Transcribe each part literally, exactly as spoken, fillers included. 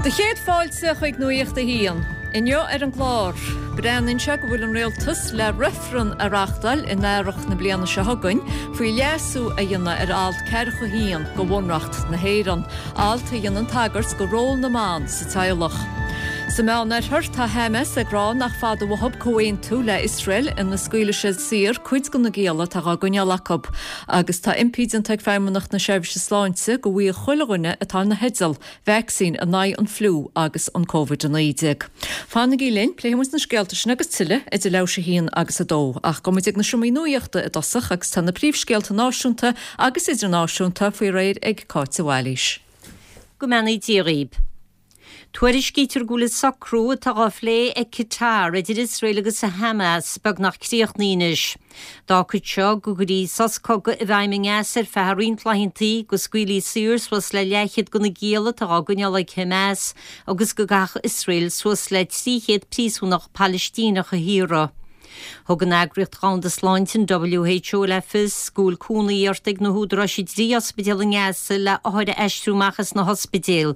Do chéad fáilte chuig Nuacht a hAon. Inniu ar an gclár, breathnaíonn sé go bhfuil an rialtas le reifreann a reáchtáil in earrach na bliana seo chugainn faoi leasú a dhéanamh ar alt ceathracha haon de Bhunreacht na hÉireann, alt a dhéanann tagairt do ról na mban sa teaghlach. Sa Mheánoirthear tá Hamas ag rá nach fada uathu comhaontú le Iosrael ina scaoilfidh siad saor cuid de na gialla atá á gcoinneáil acu, agus tá impí déanta ag Feidhmeannacht na Seirbhíse Sláinte go bhfaigheadh chuile dhuine atá ina theideal vacsaín in aghaidh an fliú agus an Covid a naoi déag. Fanaigí linn, pléifidh muid na scéalta sin agus tuilleadh idir leathuair tar éis a haon agus a dó, ach gabhfaidh muid ag na seomraí nuachta i dtosach agus tá na príomhscéalta náisiúnta agus idirnáisiúnta faoi réir ag Cáit Bhailís. Go mbeannaí Dia dhaoibh. Tuairiscítear go bhfuil socrú atá á phlé ag Qatar idir Iosrael agus Hamas beagnach críochnaithe anois. D'fhágfadh seo go gcuirfí sos cogaidh i bhfeidhm i nGaza ar feadh roinnt laethanta go scaoilfí saor suas le leathchéad de na gialla atá á gcoinneáil ag Hamas agus go gcaithfeadh Iosrael suas le trí chéad príosúnach Palaistíneach a shaoradh. Thug an eagraíocht Dhomhanda Sláinte an WHO le fios go bhfuil cúnamh iarrtha ag na húdaráis i dtrí ospidéal i nGaza le othair a aistriú amach as na hospidéil.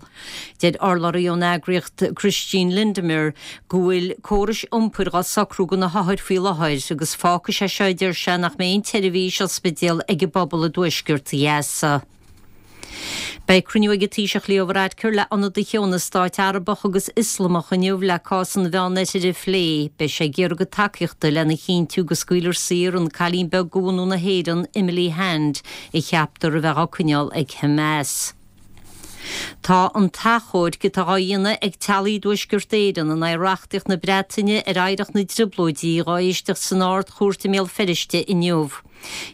Deir urlabhraí ón eagraíocht Christine Lindemyer go bhfuil córais iompair á socrú do na hothair faoi láthair agus fágfaidh sé seo deir sé nach mbeidh aon tseirbhís ospidéal ag an bpobal i dtuaisceart Ghaza. Beidh cruinniú ag an Taoiseach Leo Varadkar le ionadaithe ó na stáit Arabach agus Ioslamach inniu le cás an Mheánoirthir a phlé, beidh sé ag iarraidh a dtacaíochta lena chinntiú go scaoilfear saor an cailín beag de bhunadh na hÉireann Emily Hand a cheaptar a bheith á coinneáil ag Hamas. Tá an t-achomharc atá á dhéanamh ag teaghlaigh i dTuaisceart Éireann in aghaidh reachtaíocht na Breataine ar oidhreacht na dTrioblóidí dhá éisteacht san Ard-Chúirt i mBéal Feirste inniu.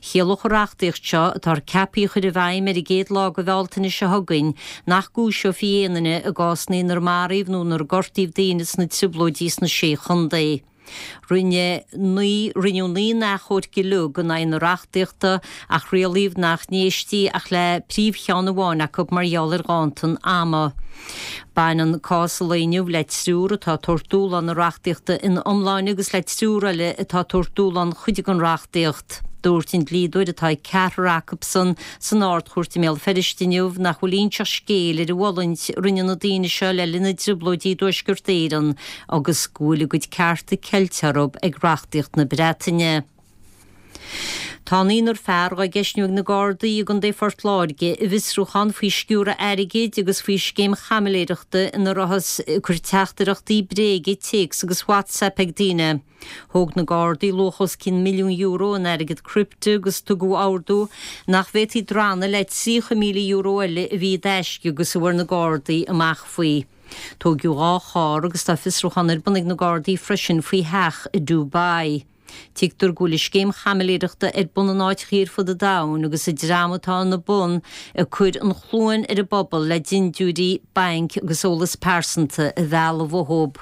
Chiallódh an reachtaíocht seo atá ceaptha a chur i bhfeidhm ar an gcéad lá de Bhealtaine seo chugainn nach gcúiseofaí aon duine i gcásanna inar maraíodh nó inar gortaíodh daoine sna trioblóidí sna sé chontae. Rinne naoi rinneadh naoi n-achomharc uilig in aghaidh na reachtaíochta ach rialaíodh nach n-éistí ach le príomhcheann amháin acu mar gheall ar ghanntan ama. Baineann cás an lae inniu le triúr atá ag tabhairt dúshlán na reachtaíochta ina iomláine agus le triúr eile atá ag tabhairt dúshlán cuid den reachtaíocht. Dúirt an dlíodóir atá ag ceathrar acusan san Ard-Chúirt i mBéal Feirste inniu nach bhfuil inseacht scéil ar an bhfulaingt a rinne na daoine seo le linn na dtrioblóidí i dTuaisceart Éireann agus go bhfuil a gcuid cearta ceilte orthu ag reachtaíocht na Breataine. Tá naonúr fear á gceistniú ag na Gardaí i gContae Phort Láirge i bhfiosrúchán faoi sciúradh airgid agus faoi scéim chaimiléireachta ina rabhthas ag cur teachtaireachtaí bréige, téacs agus WhatsApp ag daoine. Thóg na Gardaí luach os cionn milliún euro in airgead crypto agus tugadh ordú nach bhféadfaí drannadh le tríocha míle euro eile a bhí i dtaisce agus a bhfuair na Gardaí amach faoi. Tógadh dhá charr agus tá fiosrúchán ar bun ag na Gardaí freisin faoi theach i Dubai. Tuigtear go bhfuil scéim chaimiléireachta ar bun in áiteacha ar fud an domhain agus an dream atá ina bun ag cur an chluain ar an bpobal le dindiúirí bainc agus eolas pearsanta a mhealladh uathu.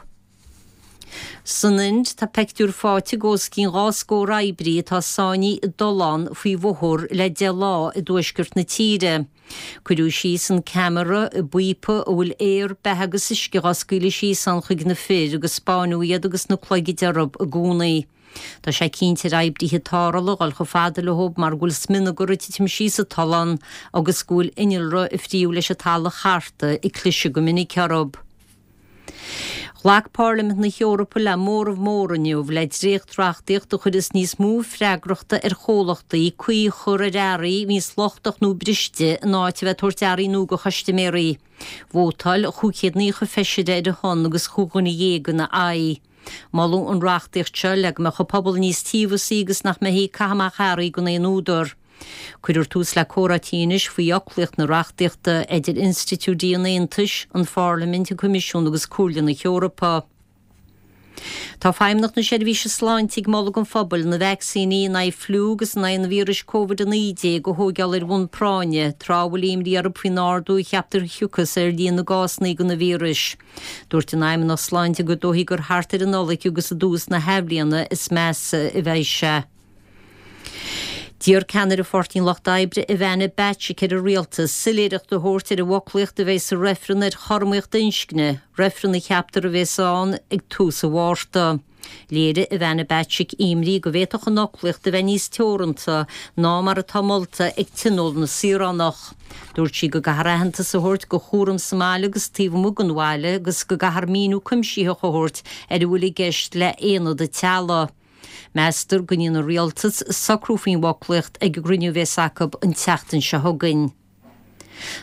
San Ind tá pictiúr faighte de os cionn dhá scór oibrí atá sáinnithe i dtollán faoi bhóthar le deich lá i dtuaisceart na tíre. Cuireadh síos an ceamara i bpíopa a bhfuil aer, beatha agus uisce á scaoileadh síos ann chuig na fir agus spáineadh iad agus na cloigid orthu i gcónaí. Tá sé cinnte ar oibrithe tarrthála dul chomh fada leo mar go bhfuil smionagar ag titim síos sa tollán agus go bhfuil innealra ag fríothadh leis an talamh charta ag cliseadh go minic orthu. Ghlac Parlaimint na hEorpa le móramh mór inniu le dréacht-reachtaíocht a chuireas níos mó freagrachta ar chomhlachtaí caoi a chur ar earraí a bhíonns lochtach nó briste in áit a bheith ag tabhairt earraí nua do chustaiméirí. Vótáil chúig chéad naocha feisire ar a shon agus chúig dhuine dhéag ina aghaidh. Moladh an reachtaíocht seo le go mbeadh an pobal níos tíobhasaí agus nach mbeifí ag caitheamh amach earraí gan aon údar. Cuirfear tús le comhráití anois faoi fhoclaíocht na reachtaíochta idir institiúidí an Aontais, an Pharlaimint, an Coimisiún agus Comhairle na hEorpa. Tá Feidhmeannacht na Seirbhíse Sláinte ag moladh don phobal na vacsaíní in aghaidh fliú agus in aghaidh an víris Covid a naoi déag a thógáil ar bhonn práinne, tráth a bhfuil imní orthu faoin ardú a cheaptar a thiocfas ar líon na gcásanna den víreas. Dúirt an Fheidhmeannacht Sláinte gur dóichí gur thart ar an Nollaig agus i dtús na hathbhliana is measa a bheidh sé. D'iarr ceannaire Pháirtí an Lucht Oibre Ivana Bacik ar an rialtas soiléireacht a thabhairt ar an bhfoclaíocht a bheidh sa reifreann ar chothromaíocht inscne, reifreann a cheaptar a bheas ann ag tús an Mhárta. Léirigh Ivana Bacik imní go bhféadfadh an fhoclaíocht a bheith níos teoranta ná mar atá molta ag Tionól na Saoránach. Dúirt sí go gcaithfear aitheantas a thabhairt go chúram sa mbaile agus taobh amuigh den bhaile agus go gcaithfear míniú cuimsitheach a thabhairt ar a bhfuil i gceist le haonad an teaghlaigh. Meastar go ndéanfaidh an rialtas socrú faoin bhfoclaíocht ag an gcruinniú a bheas acu an tseachtain seo chugainn.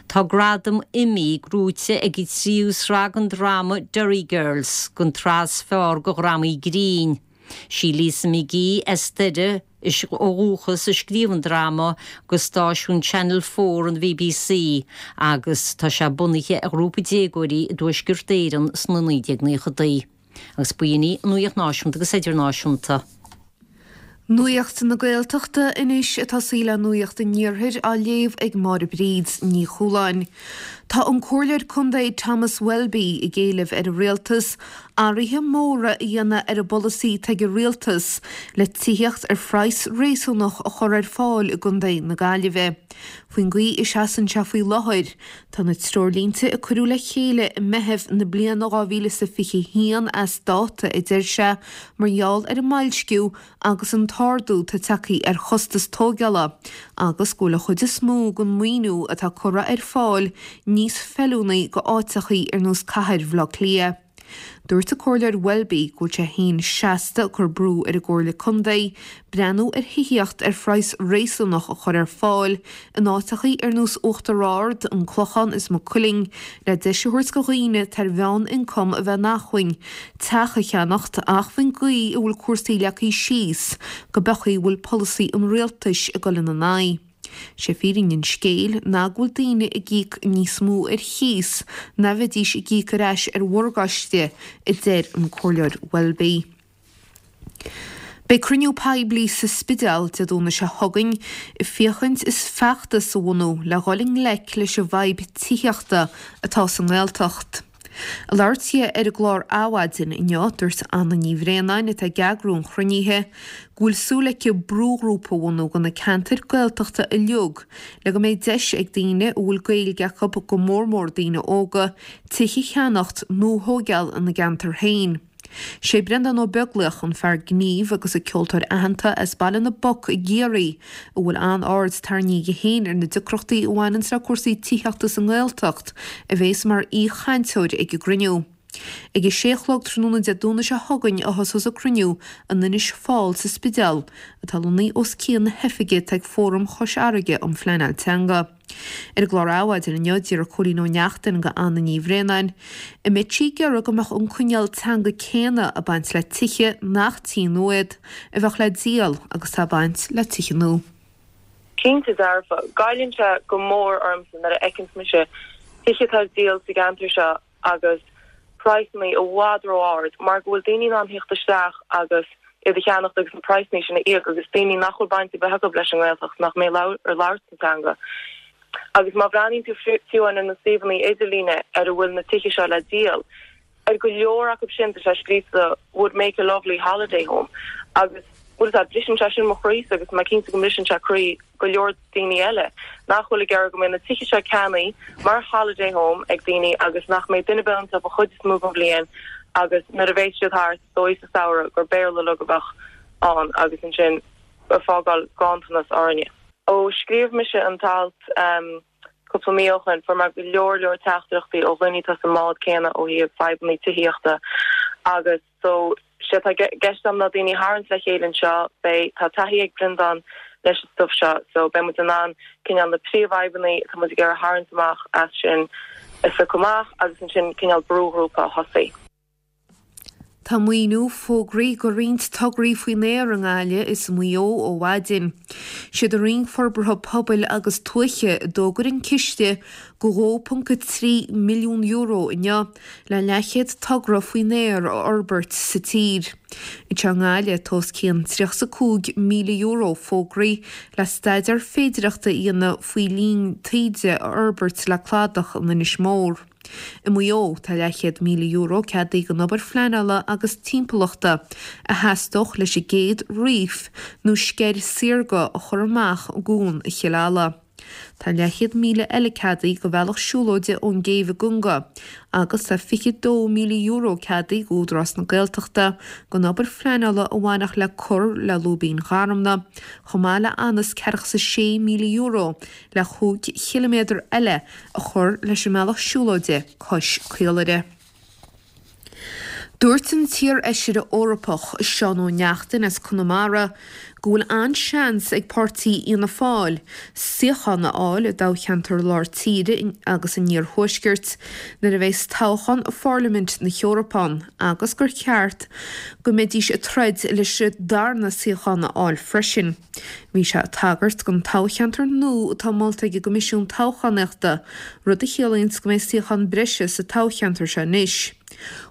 Tá gradam Emmy gnóthaithe ag an tríú sraith den dráma Derry Girls, don tsraith is fearr de dhrámaí grinn. Sí Lisa McGee as Doire ó dhúchas a scríobh an dráma do stáisiún Channel Four an BBC agus tá sé bunaithe ar ghrúpa déagóirí i dTuaisceart Éireann sna naoi déag naochadaí. Agus b'in í an nuacht náisiúnta agus idirnáisiúnta. Nuacht na Gaeltachta anois atá sí le Nuacht an Iarthair á léamh ag Máire Bríd Ní Chualáin. Tá an Comhairleoir Contae Thomas Welby ag éileamh ar an rialtas athruithe móra a dhéanamh ar an bpolasaí atá ag an rialtas le tithíocht ar phraghas réasúnach a chur ar fáil i gContae na Gaillimhe. Faoin gcaoi a seasann sé faoi láthair, tá na treoirlínte a cuireadh le chéile i Meitheamh na bliana dhá mhíle is a fiche haon as dáta a deir sé mar gheall ar an mboilsciú agus an t-ardú atá tagtha ar chostas tógála agus go bhfuil an chuid is mó den mhaoiniú atá curtha ar fáil níos feiliúnaí go áiteachaí ar nós cathair Bhaile Átha Cliath. Dúirt an Comhairleoir Welby go bhfuil sé féin seasta ag cur brú ar an gComhairle Contae breathnú ar thithíocht ar phraghas réasúnach a chur ar fáil in áiteachaí ar nós Uachtar Ard, An Clochán is Maigh Cuilinn le deis a thabhairt do dhaoine atá ar mheán-ioncam a bheith in acmhainn teach a cheannacht ach faoin gcaoi a bhfuil cúrsaí leagtha síos go beachaí a bhfuil polasaí an rialtais ag dul ina n-aghaidh. Sé fírinne an scéil ná go bhfuil daoine ag íoc níos mó ar chíos ná bheidís ag íoc ar ais ar mhorgáiste, a deir an Comhairleoir Welby. Beidh cruinniú poiblí sa Spidéal Dé Domhnaigh seo chugainn ag féachaint is feachtas a bhunú le dhul i ngleic leis an bhfadhb tithíochta atá sa nGaeltacht. Ag labhairt di ar an gclár Adhmhaidin inniu, dúirt Anna Ní Bhraonáin, atá ag eagrú an chruinnithe, go bhfuil súil aici brúghrúpa a bhunú do na ceantair Gaeltachta uilig le go mbeidh deis ag daoine a bhfuil Gaeilge acu, go mór mór daoine óga, tithe a cheannacht nó a thóigeáil ina gceantar féin. Sé Breandán Ó Beaglaoich, an fear gnímh agus an ceoltóir aitheanta as Baile na bPoc i gCiarraí, a bhfuil an-aird tarraingthe aige féin ar na deacrachtaí a bhaineanns le cúrsaí tithíochta sa nGaeltacht, a bhéas mar aoi-chainteoir ag an gcruinniú. Ag a sé a chlog tráthnóna Dé Domhnaigh seo chugainn a thosós an cruinniú in Inis Fáil sa Spidéal, atá lonnaithe os cionn na hoifige atá ag Fóram Chois Fharraige um Phleanáil Teanga. Ar an gclár Adhmhaidin inniu, d'fhiafraigh Cóilín Ó Neachtain de Anna Ní Bhraonáin an mbeadh sí ag iarraidh go mbeadh an coinníoll teanga céanna ag baint le tithe nach tithe nua iad, a bheadh le díol agus atá ag baint le tithe nua. Cinnte dearfa, goilleann sé go mór ormsa nuair a fheiceanns mise tithe atá ar díol sa gceantar seo agus praghsanna i bhfad ró-ard mar go bhfuil daoine in ann theacht isteach agus iad a cheannacht agus na praghsanna sin a íoc agus daoine nach bhfuil baint ar bith acu leis an nGaeltacht, nach mbeidh ag labhairt an teanga. Agus má bhreathnaíonn tú fiú ar na suíomhanna idirlíne ar a bhfuil na tithe seo le díol, ar go leor acu sin tá sé scríofa would make a lovely holiday home agus bhfuil a fhios agat, briseann sé sin mo chroísa agus tá mé cinnte go mbriseann sé croí go leor daoine eile nach bhfuil ag iarraidh go mbeidh na tithe seo ceannaithe mar holiday home ag daoine agus nach mbeidh duine ar bith iontu an chuid is mó den bhliain agus nuair a bheas siad thart is dóigh sa samhradh gur Béarla uilig a bheadh ann agus ansin ag fágáil ganntanas orainne. Ó scríobh mise an t-alt cúpla mí ó shin fuair mé go leor leor teachtaireachtaí ó dhaoine atá sa mbád céanna ó thaobh fadhbanna tithíochta agus so sé atá i gceist agam ná daoine a tharraingt le chéile anseo, beidh, tá taithí ag Breandán leis an stuif seo so beidh muid in ann cineál na príomhfhadhbanna atá muid ag iarraidh a tharraingt amach as sin a phiocadh amach agus ansin cineál brúghrúpa a thosaí. Tá maoiniú fógraithe do roinnt tograí faoin aer i nGaillimh is i Maigh Eo ó mhaidin. Siad an Roinn Forbartha Pobail agus Tuaithe a d'fhógair an ciste de dhó ponc a trí milliún euro inniu le leathchéad togra faoin aer a fhorbairt sa tír. Anseo i nGaillimh tá os cionn tríocha is a cúig míle euro fógraithe le staidéar féidireachta a dhéanamh faoi linn taoide a fhorbairt le cladach in Inis Mór. I Maigh Eo, tá leathchéad míle euro ceadaithe don obair phleanála agus timpeallachta a theastódh leis an gcéad reef nó sceir saorga a chur amach i gCuan Chill Ala. Tá leathchéad míle eile ceadaithe do bhealach siúlóide ón gcéibh i gConga agus tá fiche dó míle euro ceadaithe d'Údarás na Gaeltachta don obair phleanála a bhainfeadh le cur le Lúibín Gharmna, chomh maith le anuas ceathracha is a sé míle euro le chúig chiliméadar eile a chur leis an mbealach siúlóide cois Caolaire. Dúirt an t-iarfheisire Eorpach Seán Ó Neachtain as Conamara go bhfuil an-seans ag páirtí Fhianna Fáil suíochán a fháil i dtoghcheantar lár tíre agus an iarthuaiscirt nuair a bheas toghchán Pharlaimint na hEorpa ann agus gur cheart go mbeidís ag troid leis an darna suíochán a fháil freisin. Bhí sé ag tagairt don toghcheantar nua atá molta ag an gCoimisiún Toghchánaíochta, rud a chiallaíonns go mbeidh suíochán breise sa toghcheantar seo anois.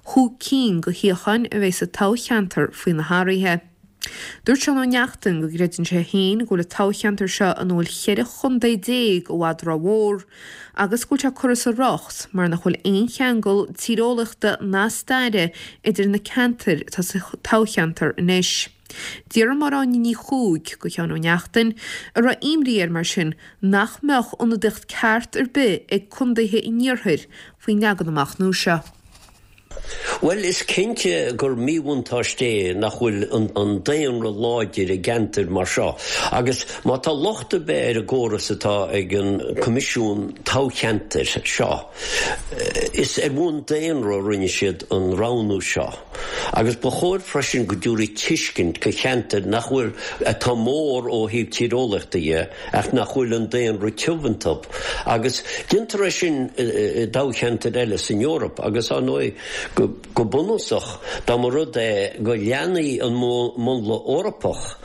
Chúig cinn de shuíocháin a bheidh sa toghcheantar faoi na hathruithe. Dúirt Seán Ó Neachtain go gcreideann sé féin go bhfuil an toghcheantar seo ina bhfuil cheithre chontae déag i bhfad rómhór agus go bhfuil sé curtha as a riocht mar nach bhfuil aon cheangal tíreolaíochta ná staire idir na ceantair atá sa toghcheantar anois. D'fhiafraigh Máire Áine Ní Chuaig de Sheán Ó Neachtain an raibh imní air mar sin nach mbeadh ionadaíocht ceart ar bith ag contaetha an iarthair faoin leagan amach nua seo. Bhuel, is cinnte gur míbhuntáiste é nach bhfuil an daonra láidir i gceantair mar seo. Agus má tá locht ar bith ar an gcóras atá ag an Coimisiún Toghcheantair seo, is ar bhonn daonra a rinne siad an roghnú seo. Agus ba chóir freisin go dtabharfaí tuiscint do cheantair nach bhfuil, atá mór ó thaobh tíreolaíochta dhe, ach nach bhfuil an daonra tiubh iontu. Agus déantar é sin i dtoghcheantair eile san Eoraip agus, ar ndóigh, go bunúsach, dá mba rud é go leanfaí an múnla Eorpach,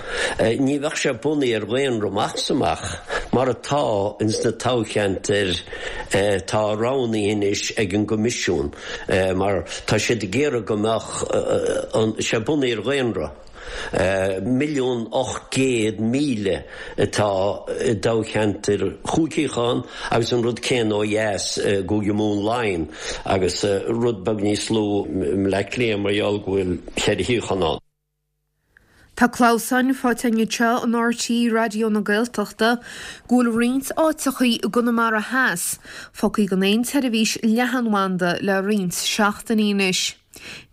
ní bheadh sé bunaithe ar dhaonra amach is amach, mar atá ins na toghcheantair atá roghnaithe anois ag an gCoimisiún, mar tá siad ag iarraidh go mbeadh sé bunaithe ar dhaonra. Milliún ocht gcéad míle atá i dtoghcheantar chúig shuíochán agus an rud céanna ó dheas i gCúige Mumhan Laighean agus rud beag níos lú i mBleá Cliath mar gheall go bhfuil ceithre shuíochán ann. Tá clamhsán faighte againn anseo in RTÉ Raidió na Gaeltachta go bhfuil roinnt áiteachaí i gConamara Theas fágtha gan aon tseirbhís leathanbhanda le roinnt seachtainí anois.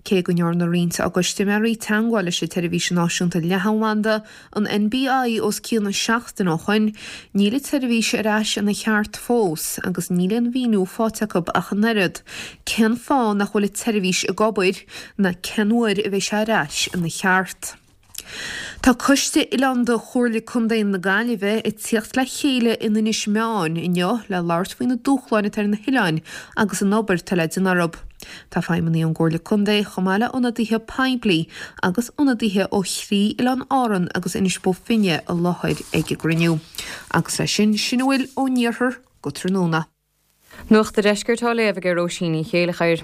Cé go ndearna roinnt dá gcustaiméirí teagmháil leis an tseirbhís náisiúnta leathanbhanda, an NBI, os cionn seachtain ó shoin, níl an tseirbhís ar ais ina cheart fós agus níl aon mhíniú faighte acu ach an oiread cén fáth nach bhfuil an tseirbhís ag obair ná cén uair a bheidh sé ar ais ina cheart. Tá Coiste Oileánda Chomhairle Contae na Gaillimhe ag tíocht le chéile in Inis Meáin inniu le labhairt faoi na dúshláin atá ar na hoileáin agus an obair atá le déanamh orthu. Tá feidhmeannaigh ón gComhairle Contae chomh maith le ionadaithe poiblí agus ionadaithe ó thrí oileán Árann agus Inis Bó Finne i láthair ag an gcruinniú. Agus leis sin, sin a bhfuil ón iarthar go tráthnóna. Nuacht an Deiscirt á léamh ag Róisín Ní Chéilleachair.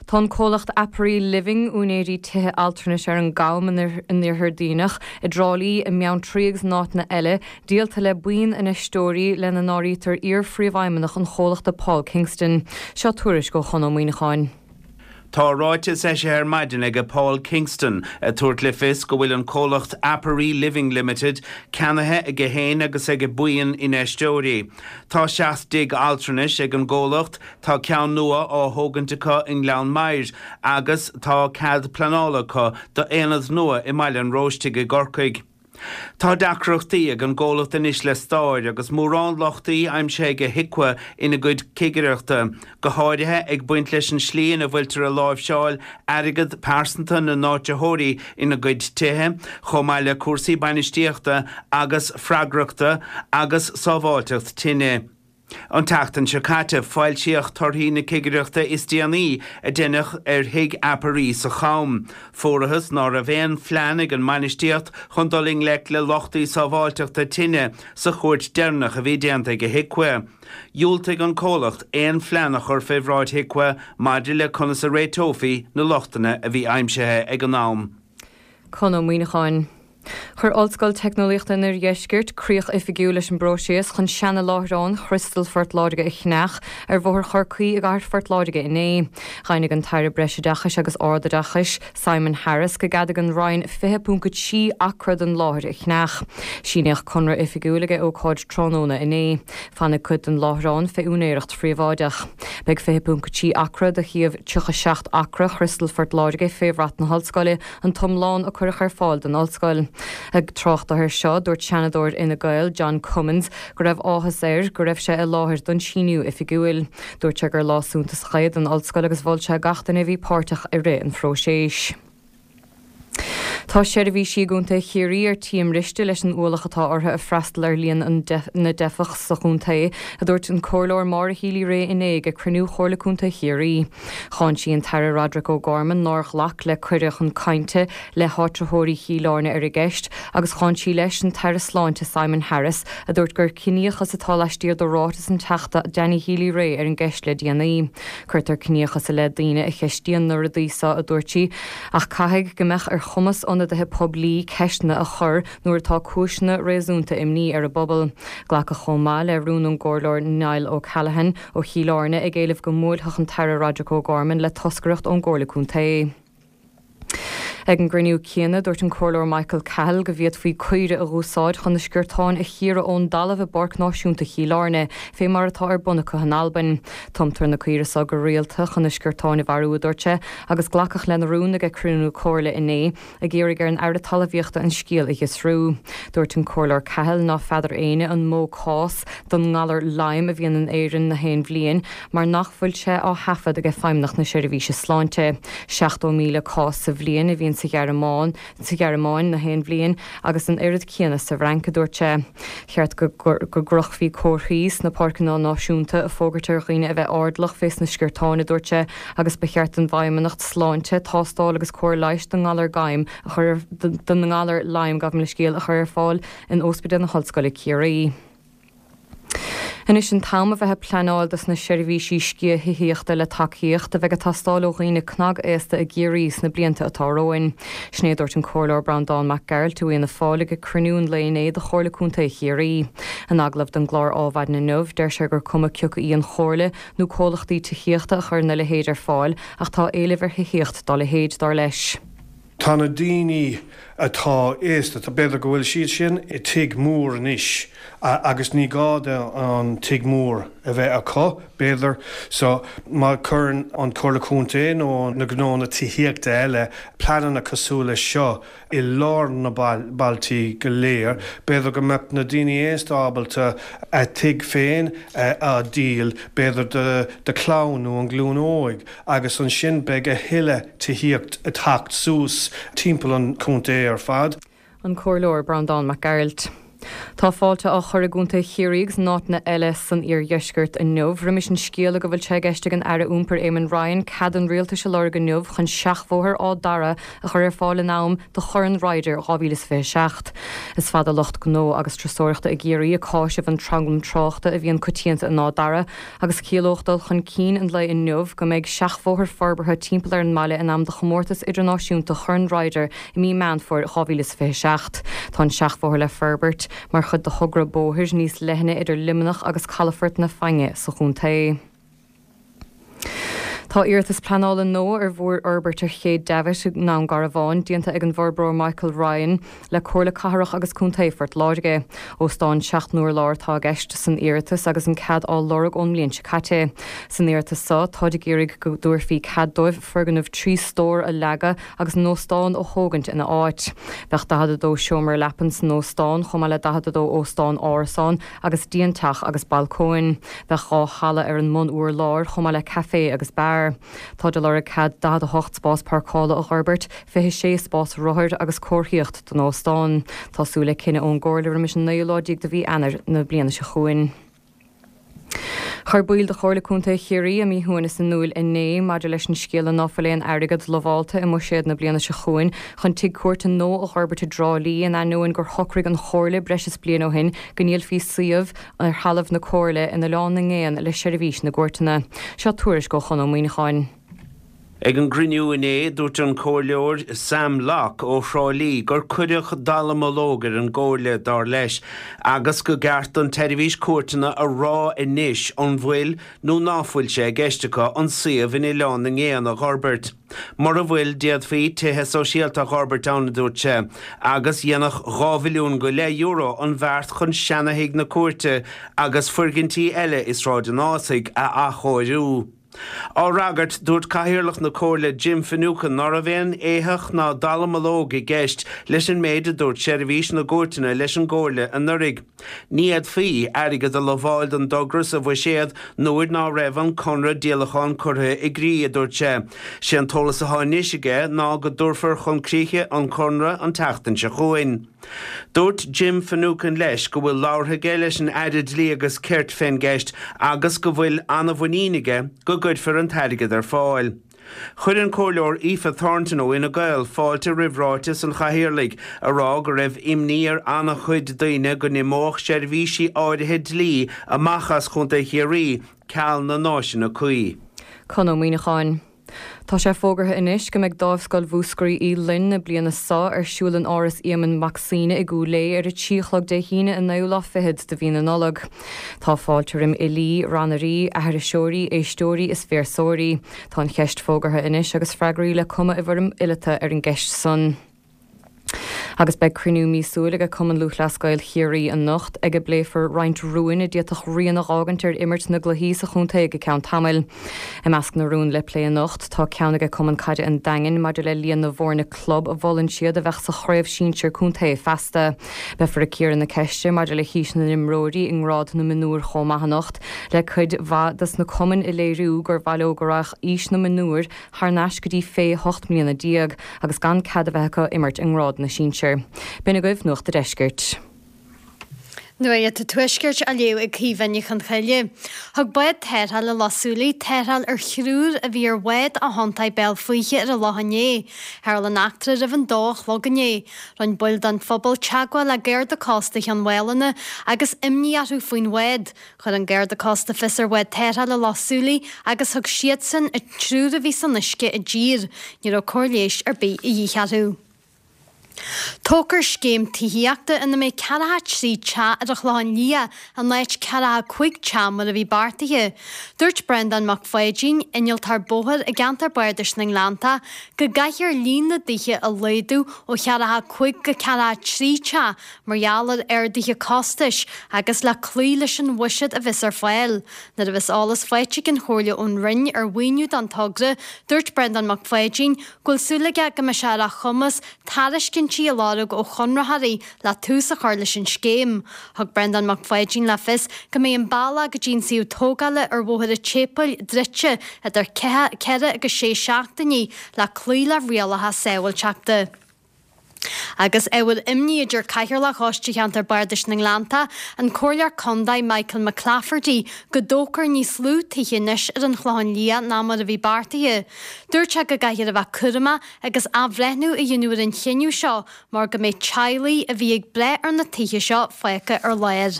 Tá an comhlacht Apery Living, úinéirí tithe altranais ar an gCam in Iarthar Dhuibhneach, i dTrá Lí, i mBeanntraí agus in áiteanna eile, díolta le buíon infheisteoirí lena n-áirítear iar-phríomhfheidhmeannach an chomhlachta Paul Kingston. Seo tuairisc ó Chon Ó Muíneacháin. Tá ráiteas eisithe ar maidin ag Paul Kingston ag tabhairt le fios go bhfuil an comhlacht Apery Living Limited ceannaithe aige féin agus ag buíon infheisteoirí. Tá seacht dtigh altranais ag an gcomhlacht, tá ceann nua á thógaint acu i nGleann Maghair agus tá cead pleanála acu d'aonad nua i mBaile an Róistigh i gCorcaigh. Tá deacrachtaí ag an gcomhlacht anois le stair agus mórán lochtaí aimsithe ag HIQA ina gcuid cigireachta, go háirithe ag baint leis an slí ina bhfuiltear ag láimhseáil airgead pearsanta na n-áititheoirí ina gcuid tithe, chomh maith le cúrsaí bainistíochta agus freagrachta agus sábháilteacht tine. An tseachtain seo caite, foilsíodh torthaí na cigireachta is déanaí a deineadh ar thigh Apery sa Cham. Fuarathas ná raibh aon phlean ag an mbainistíocht chun dul i ngleic le lochtaí sábháilteachta tine sa chuairt deireanach a bhí déanta ag HIQA. Dhiúltaigh an comhlacht aon phlean a chur fé bhráid HIQA maidir le conas a réiteofaí na lochtanna a bhí aimsithe ag an am. Conn Ó Muíneacháin. Chuir Ollscoil Teicneolaíochta an Oirdheiscirt críoch oifigiúil leis an bpróiseas chun seana-láithreán Chriostal Phort Láirge a cheannach ar Bhóthar Chorcaí i gcathair Phort Láirge inné. Dheimhnigh an tAire Breisoideachais agus Ardoideachais, Simon Harris, go gceadaigh an Roinn fiche ponc a trí acra den láthair a cheannach. Síníodh conradh oifigiúil ag ócáid tráthnóna inné. Fanfaidh cuid den láithreán fé úinéireacht phríobháideach. Beidh fiche ponc a trí acra de shuíomh tríocha seacht acra Chriostal Phort Láirge fé bhrat na hOllscoile, an t-iomlán a cuireadh ar fáil don Ollscoil. Ag trácht dó air seo, dúirt Seanadóir Fhine Gael, John Cummins, go raibh áthas air go raibh sé i láthair don síniú oifigiúil. Dúirt sé gur lá suntasach é don Ollscoil agus mhol sé gach duine a bhí páirteach i rith an phróiséis. Tá seirbhísí i gContae Chiarraí ar tí a mbriste leis an ualach atá orthu ag freastal ar líon na dteifeach sa chontae, a dúirt an Comhairleoir Maura Healy-Rae inné ag cruinniú Chomhairle Contae Chiarraí. Cháin sí an tAire Roderic O'Gorman nár ghlac le cuireadh chun cainte le háitritheoirí Chill Airne ar an gceist agus cháin sí leis an tAire Sláinte Simon Harris a dúirt gur ciníochas atá laistiar de ráiteas an Teachta Danny Healy-Rae ar an gceist le déanaí. Cuirtear ciníochas i leith daoine a cheistíonn na rudaí seo, a dúirt sí, ach caithfidh go mbeadh ar chumas ionadaithe poiblí ceisteanna a chur nuair atá cúiseanna réasúnta imní ar an bpobal. Glacadh chomh maith le rún ón gComhairleoir Niall O'Callaghan ó Chill Airne ag éileamh go mbuailfeadh an tAire Roderic O'Gorman le toscaireacht ón gComhairle Contae. Ag an gcruinniú céanna, dúirt an Comhairleoir Michael Cahill go bhféadfaí caoire a dh'úsáid chun na sciortáin a chíoradh ón dtalamh i bPáirc Náisiúnta Chill Airne, fé mar atá ar bun acu in Albain. Tumtar na caoire so go rialta chun na sciortáin a mharú, a dúirt sé, agus glacadh lena rún ag cruinniú Comhairle inné, ag iarraidh ar an Aire Talmhaíochta an scéal a fhiosrú. Dúirt an Comhairleoir Cahill ná feadar éinne an mó cás don ngalar Lyme a bhíonn in Éirinn na haon bhliain mar nach bhfuil sé á thaifead ag Feidhmeannacht na Seirbhíse Sláinte. seachtó míle cás sa bhliain a bhíonn sa Ghearmáin sa Ghearmáin na haon bhliain agus an oiread céanna sa bhFrainc, a dúirt sé. Cheart go gcrochfaí comharthaí sna páirceanna náisiúnta ag fógairt ar dhaoine a bheith airdeallach fés na sciortáin, a dúirt sé, agus ba cheart don bhFeidhmeannacht Sláinte tástáil agus cóir leighis don ngalar Lyme a chur don ngalar Lyme, gabh mo leithscéal, a chur ar fáil in Ospidéal na hOllscoile Ciarraí. Anois an t-am a bheith ag pleanáil dos na seirbhísí sciath thithíochta le tacaíocht a bheidh ag teastáil ó dhaoine cnag-aosta i gCiarraí sna blianta atá romhainn. Sin é a dúirt an Comhairleoir Breandán Mac Gearailt ó Fhianna Fáil ag cruinniú an lae inné de Chomhairle Contae Chiarraí. In agallamh don gclár Ádhmhaidin inniu, deir sé gur cuma cioca í an Chomhairle nó comhlachtaí tithíochta a chuireann a leithéid ar fáil ach tá éileamh ar thithíocht dá leithéid, dar leis. Tá na daoine atá aosta, b'fhéidir go bhfuil siad sin i tigh mór anois agus ní gá do an tigh mór a bheith acu, b'fhéidir. So má chuireann an Chomhairle Contae nó na gnónna tithíochta eile pleananna cosúil leis seo i lár na bailtí go léir, b'fhéidir go mbeadh na daoine aosta ábalta a dtigh féin a dhíol, b'fhéidir do do chlann nó an ghlúin óig agus ansin beidh a thuilleadh tithíocht ag teacht suas timpeall an chontae ar fad. An Comhairleoir Breandán Mac Gearailt. Tá fáilte á chur i gContae Chiarraí agus in áiteanna eile san iardheisceart inniu roimis an scéala go bhfuil sé i gceist ag an Aire Iompair Eamon Ryan cead an rialtais a lorg inniu chun seachbhóthar Áth Dara a chur ar fáil in am do Chorn Ryder dhá mhíle is fiche a seacht. Is fada lucht gnó agus turasóireachta i gCiarraí ag cáiseamh an tranglam tráchta a bhíonn coitianta in Áth Dara agus chiallódh dul chun cinn an lae inniu go mbeidh seachbhóthar forbartha timpeall ar an mbaile in am do chomórtas idirnáisiúnta Chorn Ryder i mí Meán Fómhair dhá mhíle is fiche a seacht. Tá an seachbhóthar le forbairt mar chuid de thogra bóthair níos leithne idir Luimneach agus Calafort na Fainge sa chontae. Tá iarratas pleanála nua ar mhórfhorbairt ar Ché Davitt i nDún Garbhán déanta ag an bhforbróir Michael Ryan le Comhairle Cathrach agus Contae Phort Láirge. Óstán seacht n-urlár atá i gceist san iarratas agus an cead á lorg ón mbliain seo caite. San iarratas seo, táid ag iarraidh go dtabharfaí cead dóibh foirgneamh trí stór a leagadh agus an óstán a thógaint ina áit. Bheadh daichead a dó seomra leapan san óstán, chomh maith le daichead a dó óstán árasán agus díonteach agus balcóin. Bheadh dhá halla ar an mbun-urlár, chomh maith le caifé agus beár. Táid ag lorg cead daichead a hocht spás páirceála a dh'fhorbairt, fiche sé spás rothair agus comharthaíocht don óstán. Tá súil le cinneadh ón gComhairle roimis an naoú lá déag de mhí Eanáir na bliana seo chugainn. Chuir baill de Chomhairle Contae Chiarraí a míshuaimhneas in iúl inné maidir leis an scéala ná fuil aon airgead lamhálta i mbuiséad na bliana seo chugainn chun tigh cúirte nua a dh'fhorbairt i dTrá Lí in ainneoin gur shocraigh an Chomhairle breis is bliain ó shin go ndíolfaí suíomh ar thalamh na Comhairle in Oileán na nGéanna le seirbhís na gcúirteanna. Seo tuairisc ó Chon Ó Muíneacháin. Ag an gcruinniú inné dúirt an Comhairleoir Sam Locke ó Thrá Lí gur cuireadh dallamullóg ar an gComhairle dar leis agus go gceart don tseirbhís cúirteanna a rá anois an bhfuil nó ná fuil sé i gceist acu an suíomh in Oileán na nGéanna a fhorbairt. Mura bhfuil d'fhéadfaí tithe sóisialta a fhorbairt ann a dúirt sé, agus dhéanfadh dhá mhilliún go leith euro an bheart chun seanathigh na cúirte agus foirgintí eile i Sráid an Ásaigh a athchóiriú. Á fhreagairt, dúirt Cathaoirleach na Comhairle Jim Finucane ná raibh aon éitheach ná dallamullóg i gceist leis an méid a dúirt seirbhís na gcúirteanna leis an gComhairle anuraidh. Ní fhéadfaí airgead a lamháil don dtogra sa bhuiséad nuair ná raibh an conradh díolacháin curtha i gcrích, a dúirt sé. Sé an t-eolas atá anois aige ná go dtabharfar chun críche an conradh an tseachtain seo chugainn. Dúirt Jim Finucane leis go bhfuil labhartha aige leis an Aire Dlí agus Cirt fén gceist agus go bhfuil an-mhuinín aige go gcuirfear an t-airgead ar fáil. Chuir an Comhairleoir Aoife Thornton ó Fhine Gael fáilte roimh ráiteas an Chathaoirligh a rá go raibh imní ar an-chuid daoine go n-imeodh seirbhísí áirithe dlí amach as Chontae Chiarraí ceal na n-áiseanna cuí. Conn Ó Muíneacháin. Tá sé fógartha anois go mbeidh Dámhscoil Mhúscraí Uí Fhloinn na bliana seo ar siúl in Áras Éamonn Mac Suibhne i gCúil Aodha ar a trí a chlog Dé hAoine an naoú lá fichead de mhí na Nollag. Tá fáilte roim fhilí, rannairí, aithriseoirí, éisteoirí is véarsóirí. Tá an cheist fógartha anois agus freagraí le cumadh i bhfoirm fhileata ar an gceist san. Agus beidh cruinniú míosúil ag Cumann Lúthchleas Gael Chiarraí anocht ag a bpléifear roinnt rúin a d'fhéadfadh rian a dh'fhágaint ar imirt na gcluichí sa chontae go ceann tamaill. I measc na rún le plé anocht tá ceann ag Cumann Caide an Daingin maidir le líon na bhfoirne club a mholann siad a bheadh sa chraobh sinsir contae feasta. Beifear ag cíoradh na ceiste maidir le haois na n-imreoirí i ngrád na mionúr chomh maith anocht, le cuid mhaith dos na cumainn ag léiriú gur mhaith leo go raghadh aois na mionúr thar n-ais go dtí fé hocht mbliana déag agus gan cead a bheith acu imirt i ngrád na sinsear. B'in agaibh Nuacht a' Deiscirt. Nuacht an Tuaiscirt á léamh ag Caoimhe Ní Chonchoille. Thug bád tarrthála Loch Súilí tarrtháil ar thriúr a bhí ar bhád ó chontae Béal Faoithe ar an loch inné. Tharla an eachtra roimh an dó a chlog inné. Rinne baill den phobal teagmháil le Garda Cósta Chionn Mhálanna agus imní orthu faoin bhád. Chuir an Garda Cósta fios ar bhád tarrthála Loch Súilí agus thug siadsan an triúr a bhí san uisce i dtír. Ní raibh cóir leighis ar bith a dhíth orthu. Tógfar scéim tithíochta ina mbeidh ceathracha trí teach ar an Chlochán Liath in áit ceathracha cúig teach mar a bhí beartaithe. Dúirt Breandán Mac Pháidín, innealtóir bóthair i gceantar Bardais na nGleanntach, go gcaithfear líon na dtithe a laghdú ó cheathracha cúig go ceathracha trí teach mar gheall ar arduithe costais agus le cloí leis an bhuiséad a bheas ar fáil. Nuair a bheas eolas faighte ag an Chomhairle ón Roinn ar mhaoiniú don togra, dúirt Breandán Mac Pháidín go bhfuil súil aige go mbeidh sé ar a chumas tairiscintí a lorg ó chonraitheoirí le tús a chur leis an scéim. Thug Breandán Mac Pháidín le fios go mbeidh an bealach go dtí an suíomh tógála ar Bhóthar an tSéipéil druidte idir ceithre agus sé seachtainí le cloí le rialacha sábháilteachta. Agus ábhar imní a deir Cathaoirleach Choiste Cheantar Bardais na nGleanntach, an Comhairleoir Contae Michael McClafferty, go dtógfar níos lú tithe anois ar an Chlochán Liath ná mar a bhí beartaithe. Dúirt sé go gcaithfear a bheith cúramach agus athbhreithniú a dhéanamh ar an chinneadh seo mar go mbeidh teaghlaigh a bhí ag brath ar na tithe seo fágtha ar lár.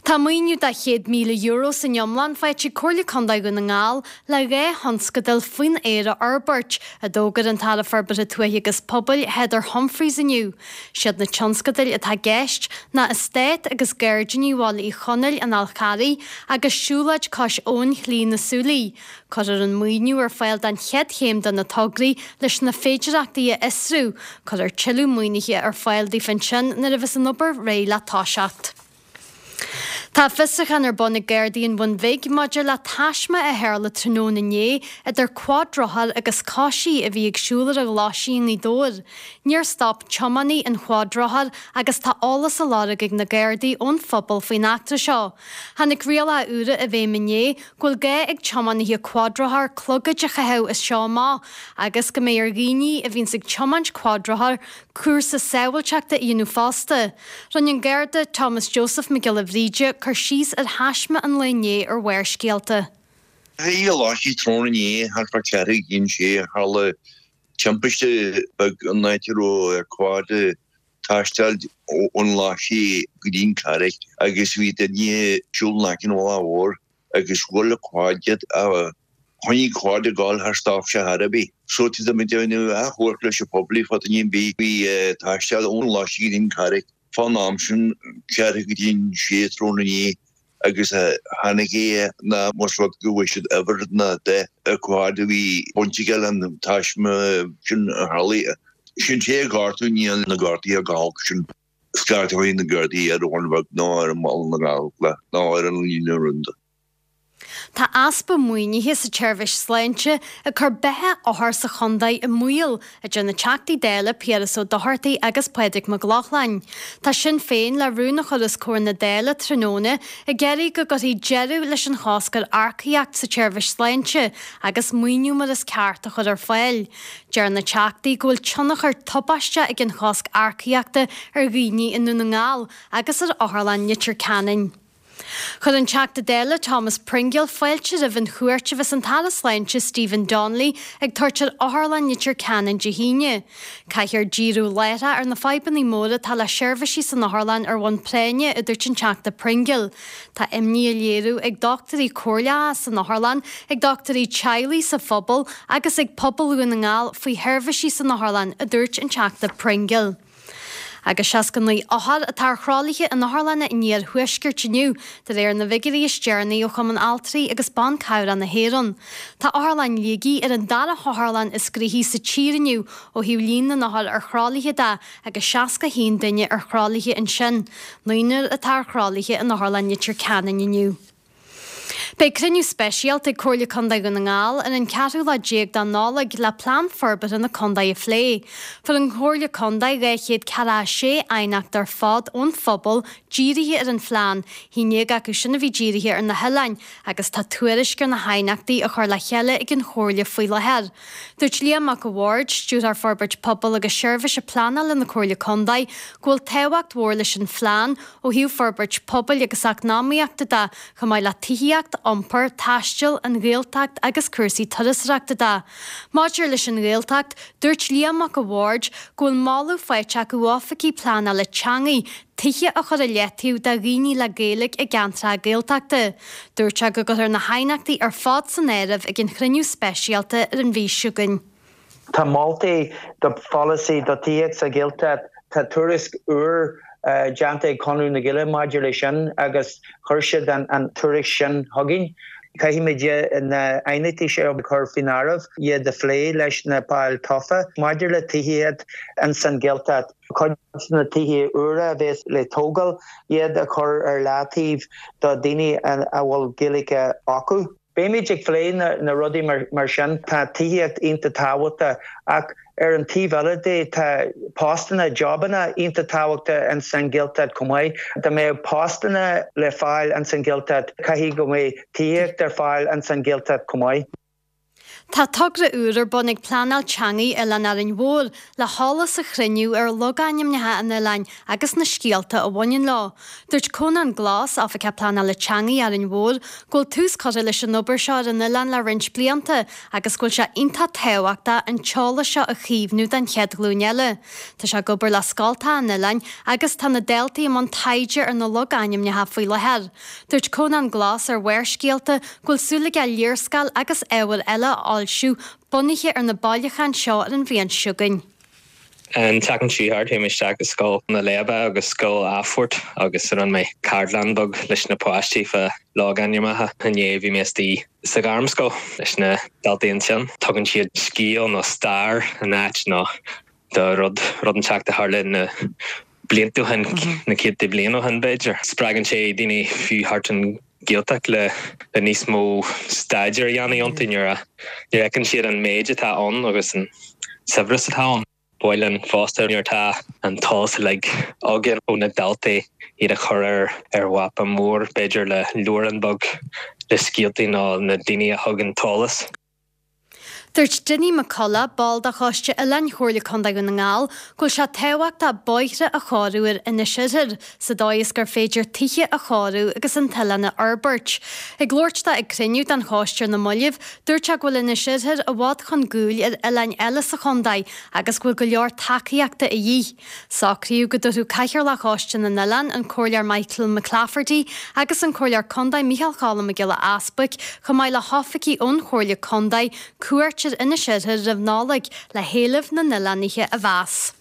Tá maoiniú de chéad míle euro san iomlán faighte ag Comhairle Contae Dhún na nGall le dhá thionscadal faoin aer a fhorbairt, a d'fhógair an tAire Forbartha Tuaithe agus Pobail, Heather Humphreys inniu. Siad na tionscadail atá i gceist ná Eastát agus Gairdíní Bhaile Uí Chonaill an Fhál Charraigh agus Siúlóid Cois Abhann Shlí na Súilí. Cuirfear an maoiniú ar fáil don chéad chéim de na tograí leis na féidearthachtaí a fhiosrú. Cuirfear tuilleadh maoinithe ar fáil daofa ansin nuair a bheas an obair réidh le toiseacht. Tá fiosrúchán ar bun ag Gardaí an Bhun Bhig maidir le taisme a tharla tráthnóna inné idir quadrothar agus coisí a bhí ag siúl ar an Ghlaisín i nGaoth Dobhair. Níor stop tiománaí an quadrothair agus tá eolas á lorg ag na Gardaí ón phobal faoin eachtra seo. Tháinig rialacha úra i bhfeidhm inné go bhfuil gá ag tiománaithe quadrothar clogaid a chaitheamh as seo amach agus go mbeidh ar dhaoine a bhíonns ag tiomáint quadrothar cúrsa sábháilteachta a dhéanamh fosta. Rinne an Garda Thomas Joseph Mac Giolla Bhríde cur síos ar thaisme an lae inné ar Bharrscéalta. Bhí a láithigh tráthnóna inné thart fá ceathrú chun sé, tharla timpiste beag an áit a raibh quad ag taisteal ón Ghlaisigh go dtí an Charraig agus bhí duine ag siúl in aice an bhealaigh mhóir agus bhuail an quad iad. Choinnigh carr ag gabháil thar stop sé thar ar bith. So tá muid ag déanamh achomharc leis an poiblí fá duine ar bith a bhí ag taisteal ón Laisigh go dtí an Charraig fán am sin, ceathrú go dtí an sé tráthnóna inné agus tháinig é ná más rud go bhfuair siad uimhir ná dath an carr a bhí baint aige leis an taisme sin a tharlaigh. Sin té a gortú níl na gortuithe go holc sin. Scairteoidh na Gardaí ar an Bheag ná ar an mBaile na Gallchla ná ar an líne rúnda. Tá easpa maoinithe sa tseirbhís sláinte ag cur beatha othar sa chontae i mbaol, a deir na Teachtaí Dála Piaras Ó Dochartaigh agus Pádraig Mac Lochlainn. Tá Sinn Féin le rún a chur os comhair na Dála tráthnóna ag iarraidh go gcuirfí deireadh leis an chosc ar earcaíocht sa tseirbhís sláinte agus maoiniú mar is ceart a chur ar fáil. Deir na Teachtaí go bhfuil tionchar tubaisteach ag an chosc earcaíochta ar dhaoine i nDún na nGall agus ar Otharlann Leitir Ceanainn. Chuir an Teachta Dála Thomas Pringle fáilte roimh an chuairt a bheas an tAire Sláinte Stephen Donnelly ag tabhairt ar Otharlann Leitir Ceanainn Dé hAoine. Caithfear díriú láithreach ar na fadhbanna móra atá le seirbhísí san otharlann ar bhonn práinne, a dúirt an Teachta Pringle. Tá imní á léiriú ag dochtúirí comhairleacha san otharlann, ag dochtúirí teaghlaigh sa phobal agus ag pobal Dhún na nGall faoi sheirbhísí san otharlann, a dúirt an Teachta Pringle. Agus seasca naoi othar atá ar thralaithe in otharlanna an iarthuaiscirt inniu, de réir na bhfigiúirí is deireanaí ó Chumann Altraí agus Ban Cabhrach na hÉireann. Tá Otharlann Shligigh ar an dara hotharlann is gnoithí sa tír inniu ó thaobh líon na n-othar ar thralaithe de agus seasca haon duine ar thralaithe ansin. Naonúr atá ar thralaithe in Otharlann Leitir Ceanainn inniu. Beidh cruinniú speisialta ag Comhairle Contae Dhún na nGall ar an ceathrú lá déag de Nollaig le plean forbartha na contae a phlé. Fuair an Chomhairle Contae dhá chéad ceathracha a sé aighneacht ar fad ón phobal dírithe ar an phlean, haon déag acu sin a bhí dírithe ar na hoileáin, agus tá tuairisc ar na haighneachtaí á chur le chéile ag an Chomhairle faoi láthair. Dúirt Liam Mac a' Bhaird, Stiúrthóir Forbairt Pobail agus Seirbhíse Pleanála na Comhairle Contae, go bhfuil tábhacht mhór leis an phlean ó thaobh forbairt pobail agus eacnamaíochta de, chomh maith le tithíocht, iompar, taisteal, an Ghaeltacht agus cúrsaí turasóireachta de. Maidir leis an Ghaeltacht, dúirt Liam Mac a' Bhaird go bhfuil moladh faighte acu ó oifigigh pleanála teanga tithe a chur i leataobh do dhaoine le Gaeilge i gceantracha Gaeltachta. Dúirt sé go gcuirfear na haighneachtaí ar fad san áireamh ag an chruinniú speisialta ar an mhí seo chugainn. Tá moltaí do pholasaí do tithíocht sa Ghaeltacht, tá tuairisc úr déanta ag Conradh na Gaeilge maidir leis sin agus chuir siad an tuairisc sin chugainn. Caithfimid na haighneachtaí seo a chur faoin áireamh, iad a phlé leis na baill tofa. Maidir le tithíocht ins an Ghaeltacht, cuid de na tithe úra a bheas le tógáil, iad a chur ar leataobh do dhaoine a bhfuil Gaeilge acu. Beimid ag plé na, na rudaí mar, mar sin tá tithíocht iontach tábhachtach ach ar an taobh eile de tá postanna jobanna iontach tábhachtach ins an Ghaeltacht chomh maith. Dá mbeadh postanna le fáil ins an Ghaeltacht caithfidh go mbeidh tithíocht ar fáil ins an Ghaeltacht chomh maith. Tá togra úr ar bun ag Pleanáil Teanga Oileán Árainn Mhór le heolas a chruinniú ar logainmneacha an oileáin agus na scéalta a bhaineann leo. Dúirt Conán Glas, Oifigeach Pleanála Teanga Árainn Mhór, go bhfuil tús curtha leis an obair seo ar an oileán le roinnt blianta agus go bhfuil sé iontach tábhachtach an t-eolas seo a chaomhnú don chéad ghlúin eile. Tá sé ag obair le scoltacha an oileáin agus tá na daltaí i mbun taighde ar na logainmneacha faoi láthair. Dúirt Conán Glas ar Bharrscéalta go bhfuil súil aige léarscáil agus ábhar eile a fhoilsiú bunaithe ar na bailiúcháin seo ar an bhliain seo chugainn. An tseachtain seo chuaigh mé isteach i scoil na Léibe agus scoil Athport agus rinne mé ceardlann beag leis na páistí fá logainmneacha inné bhí mé istigh sa ghairmscoil leis na daltaí ansin. Tugann siad scéal nó stair an áit nó do rud rud inteacht a tharla na blianta ó shin na céadta bliain ó shin b'fhéidir. Spreagann sé daoine fiú thart an Ghaeltacht le le níos mó staidéar a dhéanamh iontu nuair a fheiceann siad an méid atá ann agus an saibhreas atá ann. B'áil fosta nuair atá an t-eolas uilig againn ó na daltaí iad a chur ar ar mhapa mór b'fhéidir le leabhrán beag le scéaltaí nó na daoine a thug an t-eolas. Dúirt Dinny McCullough, ball de Choiste Oileáin Chomhairle Contae Dhún na nGall, go bhfuil sé tábhachtach bóithre a chóiriú ar Inis Oirthir sa dóigh is gur féidir tithe a chóiriú agus an t-oileán a fhorbairt. Ag labhairt dó ag cruinniú den choiste ar na mallaibh, dúirt sé go bhfuil Inis Oirthir i bhfad chun gcúil ar oileáin eile sa chontae agus go bhfuil go leor tacaíochta a dhíth. Socraíodh go dtabharfadh Cathaoirleach Choiste na nOileán, an Comhairleoir Michael McClafferty agus an Comhairleoir Contae Micheál Cholm Mac Giolla Easbuic, chomh maith le hoifigigh ón Chomhairle Contae, cuairt ar Inis Oirthir roimh Nollaig le héilimh na n-oileánaithe a mheas.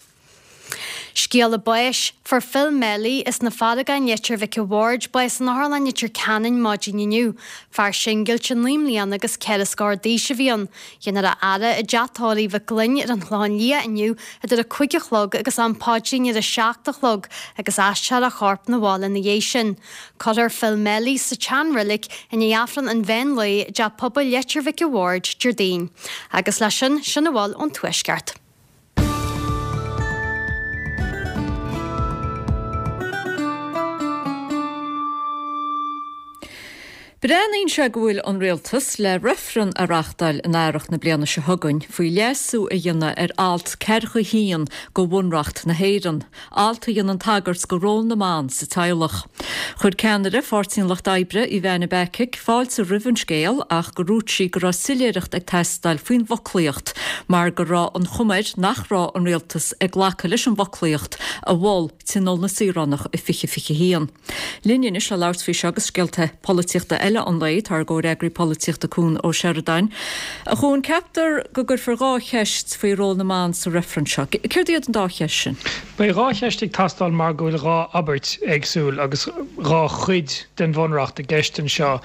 Scéala báis, Fuair Phil Melly as na Farragáin Leitir Mhic a' Bhaird bás in Otharlann Leitir Ceanainn maidin inniu. Fear singilte naoi mbliana agus ceithre scór d'aois a bhí ann. Déanfar a fhaire i dteach tórraimh Mhic Gloinn ar an Chlochán Liath inniu idir a cúig a chlog agus am paidrín ar a seacht a chlog agus aistreofar a chorp 'na bhaile ina dhiaidh sin. Cuirfear Phil Melly sa tsean-reilig i ndiaidh Aifreann an mheán lae i dTeach Pobail Leitir Mhic a' Bhaird, Déardaoin. Agus leis sin, sin a bhfuil ón Tuaisceart. Breathnaíonn sé go bhfuil an rialtas le reifreann a reáchtáil in earrach na bliana seo chugainn faoi leasú a dhéanamh ar alt ceathracha a haon de Bhunreacht na hÉireann, alt a dhéanann tagairt do ról na mban sa teaghlach. Chuir ceannaire Pháirtí an Lucht Oibre, Ivana Bacik, fáilte roimh an scéal ach gur dhúirt sí go raibh soiléireacht ag teastáil faoin bhfoclaíocht mar go raibh an chuma air nach raibh an rialtas ag glacadh leis an bhfoclaíocht a mhol Tionól na Saoránach i fiche fiche haon. Linn anois le labhairt faoi seo agus scéalta polaitíochta eile an lae tá ár gcomhfhreagraí polaitíochta Cuan Ó Seireadáin. A Chuain, ceaptar go gcuirfear dhá cheist faoi ról na mban sa reifreann seo. Céard iad an dá cheist sin? Beidh dhá cheist ag teastáil mar go bhfuil dhá abairt éagsúil agus dhá chuid den bhunreacht i gceist anseo.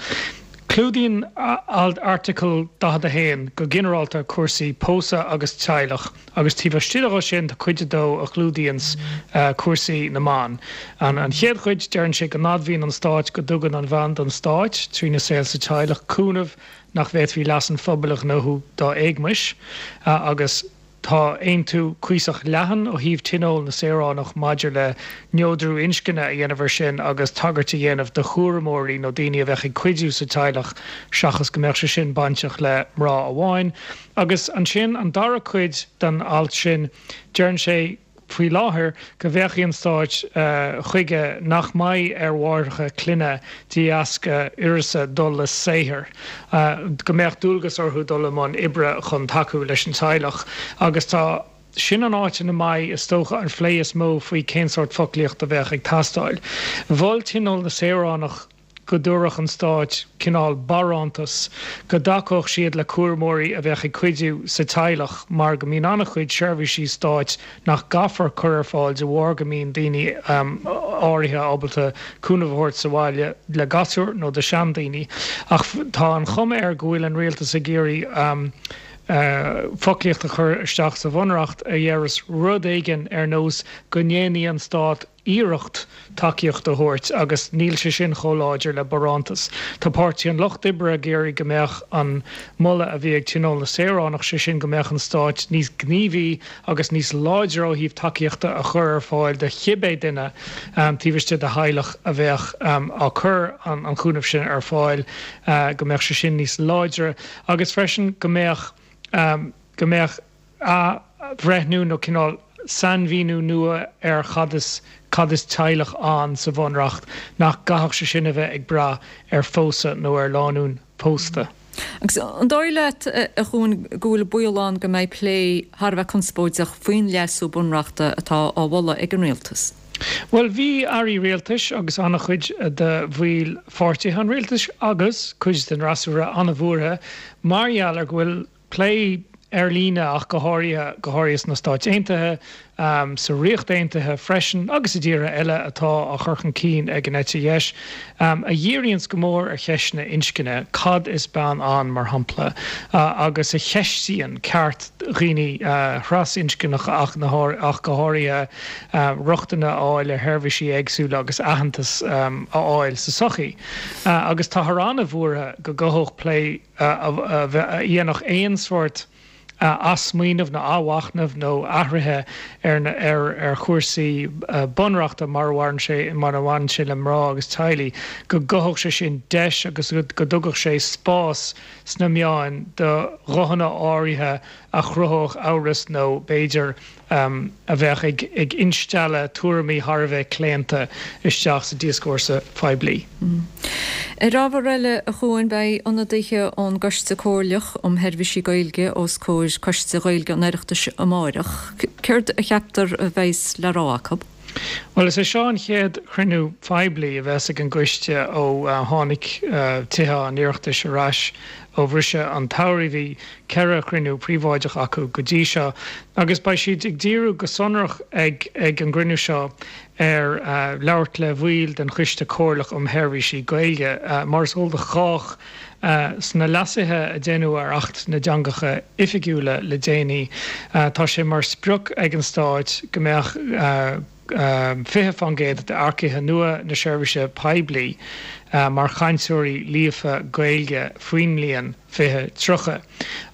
Clúdaíonn Airteagal daichead a haon go ginearálta cúrsaí pósadh agus teaghlach agus taobh istigh de sin tá cuid a dó a chlúdaíonns cúrsaí na mban. An chéad chuid, deireann sé go n-admhaíonn an Stát go dtugann an bhean don Stát, trína saol sa teaghlach, cúnamh nach bhféadfaí leas an phobail a ghnóthú dá éagmais agus Tá aontú cuíosach leathan ó thaobh Tionól na Saoránach maidir le neodrú inscne a dhéanamh air sin agus tagairt a dhéanamh do chúramóirí nó daoine a bheadh ag cuidiú sa teaghlach seachas go mbeadh sé sin bainteach le mná amháin. Agus ansin an dara cuid den alt sin, deireann sé, faoi láthair go bhféachfaidh an Stát chuige nach mbeidh ar mháithreacha clainne de dheasca uireasa dul le saothar, go mbeadh dualgas orthu dul i mbun oibre chun tacú leis an teaghlach agus tá sin an áit ina mbeidh, is dócha, an phlé is mó faoi cén sórt foclaíocht a bheadh ag teastáil. Mhol Tionól na Saoránach. go dtabharfadh an Stát cineál barántas, go dtacódh siad le cúramóirí a bheadh ag cuidiú sa teaghlach mar go mbíonn an-chuid seirbhísí stáit nach gcaithfear cur ar fáil de bharr go mbíonn daoine áirithe ábalta cúnamh a thabhairt sa bhaile le gasúir nó do sheandaoine. Ach tá an chuma air go bhfuil an rialtas ag iarraidh foclaíocht a chur isteach sa Bhunreacht a dhéarfas rud éigin ar nós go ndéanfaidh an Stát iarracht tacaíocht a thabhairt agus níl sé sin chomh láidir le barántas. Tá Páirtí an Lucht Oibre ag iarraidh go mbeadh an moladh a bhí ag Tionól na Saoránach, sé sin go mbeadh an Stát níos gníomhaí agus níos láidre ó thaobh tacaíochta a chur ar fáil do chibé duine taobh istigh de theaghlach a bheadh á cur an chúnamh sin ar fáil, go mbeadh sé sin níos láidre agus freisin go mbeadh go mbeadh athbhreithniú nó cineál sainmhíniú nua ar chad is cad is teaghlach ann sa Bhunreacht, nach gcaithfeadh sé sin a bheith ag brath ar phósadh nó ar lánúin pósta. Agus an dóigh leat, a Chuain, go bhfuil baol ann go mbeidh plé thar a bheith conspóideach faoin leasú bunreachta atá á mholadh ag an rialtas? Bhuel, bhí airí rialtais agus an-chuid de bhaill pháirtithe an rialtais agus cuid den fhreasúra an-bhuartha mar gheall ar go bhfuil plé ar líne ach go háirithe, go háirithe sna Stáit Aontaithe, sa Ríocht Aontaithe freisin agus i dtíortha eile atá á chur chun cinn ag an eite dheis, a dhíríonns go mór ar cheisteanna inscne, cad is bean ann, mar shampla, agus a cheistíonn ceart dhaoine thrasinscneacha ach go háirithe, rochtain a fháil ar sheirbhísí éagsúla agus aitheantas a fháil sa tsochaí. Agus táthar an-bhuartha go gcothódh plé a dhéanfadh aon sórt athsmaoineamh nó athmhachnamh nó athruithe ar ar ar chúrsaí bunreachta mar a bhaineann sé mar a bhaineann sé le mná agus teaghlaigh, go gcothódh sé sin deis agus go dtugadh sé spás sna meáin do ghuthanna áirithe a chruthódh amhras nó b'fhéidir a bheadh ag ag instealladh tuairimí thar a bheith claonta isteach sa dioscúrsa phoiblí. Ar ábhar eile, a Chuain, beidh ionadaithe ón gCoiste Comhairleach um Sheirbhísí Gaeilge os comhair Coiste Gaeilge an Oireachtais amáireach. Céard a cheaptar a bheas le rá acu? Bhuel, is é seo an chéad chruinniú poiblí a bheas ag an gcoiste ó tháinig Tithe an Oireachtais ar ais ó bhriseadh an tsamhraidh. Bhí ceithre chruinniú príobháideach acu go dtí seo agus beidh siad ag díriú go sonrach ag ag an gcruinniú seo ar labhairt le bhaill den Choiste Comhairleach um Sheirbhísí Gaeilge. Mar is eol do chách, sna leasuithe a deineadh ar Acht na dTeangacha Oifigiúla le déanaí, tá sé mar sprioc ag an Stát go mbeadh fiche fán gcéad d'earcaithe nua na seirbhíse poiblí mar chainteoirí líofa Gaeilge faoin mbliain fiche tríocha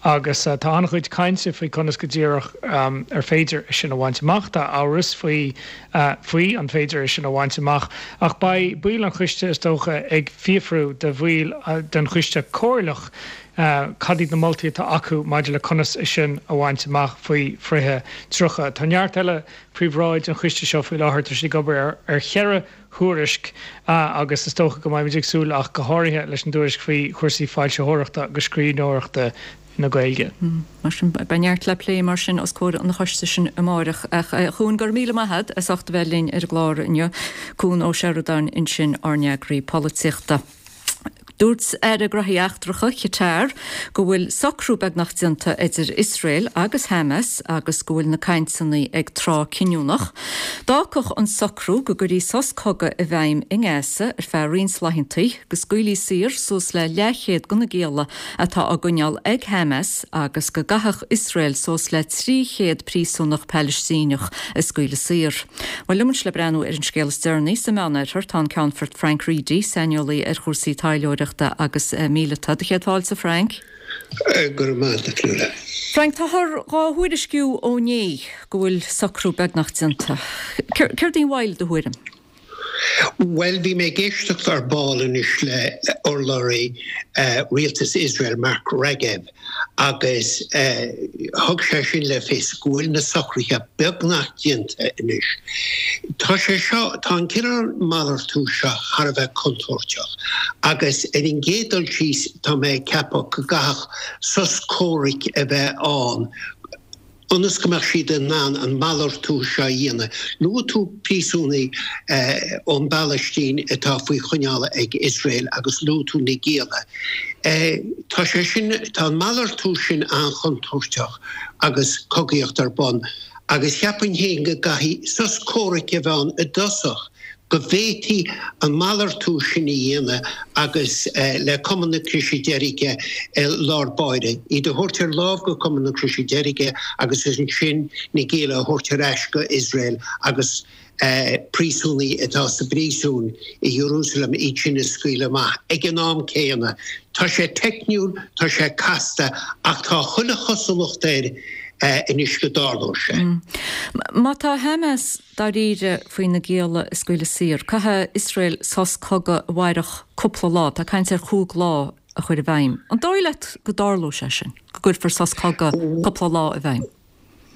agus tá an-chuid cainte faoi conas go díreach ar féidir é sin a bhaint amach. Tá amhras faoi faoi an féidir é sin a bhaint amach ach beidh baill an choiste is dócha ag fiafrú de bhaill den choiste comhairleach cad iad na moltaí atá acu maidir le conas é sin a bhaint amach faoi fiche tríocha. Tá neart eile faoi bhráid an choiste seo faoi láthair, tá siad ag obair ar cheithre thuairisc agus is dócha go mbeimid ag súil ach go háirithe leis an dtuairisc faoi chúrsaí foilsitheoireachta agus scríbhneoireachta na Gaeilge. Mar sin, beidh neart le plé mar sin os comhair an choiste sin amáireach. Ach a Chuain, go raibh míle maith agat as ucht a bheith linn ar an gclár inniu. Cuan Ó Seireadáin ansin, ár n-eagraí polaitíochta. Dúirt Aire Gnóthaí Eachtracha Chatar go bhfuil socrú beagnach déanta idir Iosrael agus Hamas agus go bhfuil na cainteanna ag tráth cinniúnach. D'fhágfadh an socrú go gcuirfí sos cogaidh i bhfeidhm i nGaza ar feadh roinnt laethanta, go scaoilfí saor suas le leathchéad de na gialla atá á gcoinneáil ag Hamas agus go gcaithfeadh Iosrael suas le trí chéad príosúnach Palaistíneach a scaoileadh saor. Bhuel, liom anois le breathnú ar an scéal is deireanaí sa Meánoirthear tá an Ceannfort Frank Reidy, saineolaí ar chúrsaí taidhleoireachta agus míleata. Do chéad fáilte, Frank. Go raibh maith agat, a Fhionnuala. Frank, táthar dhá thuairisciú ó inné go bhfuil socrú beagnach déanta. Céard í an mhoill, i do thuairim? Bhuel, bhí mé ag éisteacht ar ball anois le urlabhraí rialtas Iosrael, Mark Regev, agus thug sé sin le fios go bhfuil na socruithe beagnach déanta anois. Tá sé seo, tá an cineál malartú seo thar a bheith contúirteach agus ar an gcéad dul síos tá mé ag ceapadh go gcaithfeadh sos comhraic a bheith ann ionas go mbeadh siad in ann an malartú seo a dhéanamh. Luaigh tú príosúnaigh ón bPalaistín atá faoi choinneáil ag Iosrael agus luaigh tú na gialla. Tá sé sin, tá an malartú sin an-chontúirteach agus cogaíocht ar bun agus cheapfainn féin go gcaithfidh sos comhraic a bheith ann i dtosach go bhféadfaí an malartú sin a dhéanamh agus le Cumann na Croise Deirge i lár báire, iad a thabhairt ar láimh go Cumann na Croise Deirge agus ansin na gialla a thabhairt ar ais go Iosrael agus príosúnaigh atá sa bpríosún i Iarúsailéim, iad sin a scaoileadh amach ag an am céanna. Tá sé teicniúil, tá sé casta ach tá chuile chosúlacht air anois go dtarlóidh sé. Má tá Hamas dáiríre faoi na gialla a scaoileadh saor, caithfidh Iosrael sos cogaidh a mhairfeadh cúpla lá, tá caint ar chúig lá a chur i bhfeidhm. An dóigh leat go dtarlóidh sé sin, go gcuirfear sos cogaidh cúpla lá i bhfeidhm?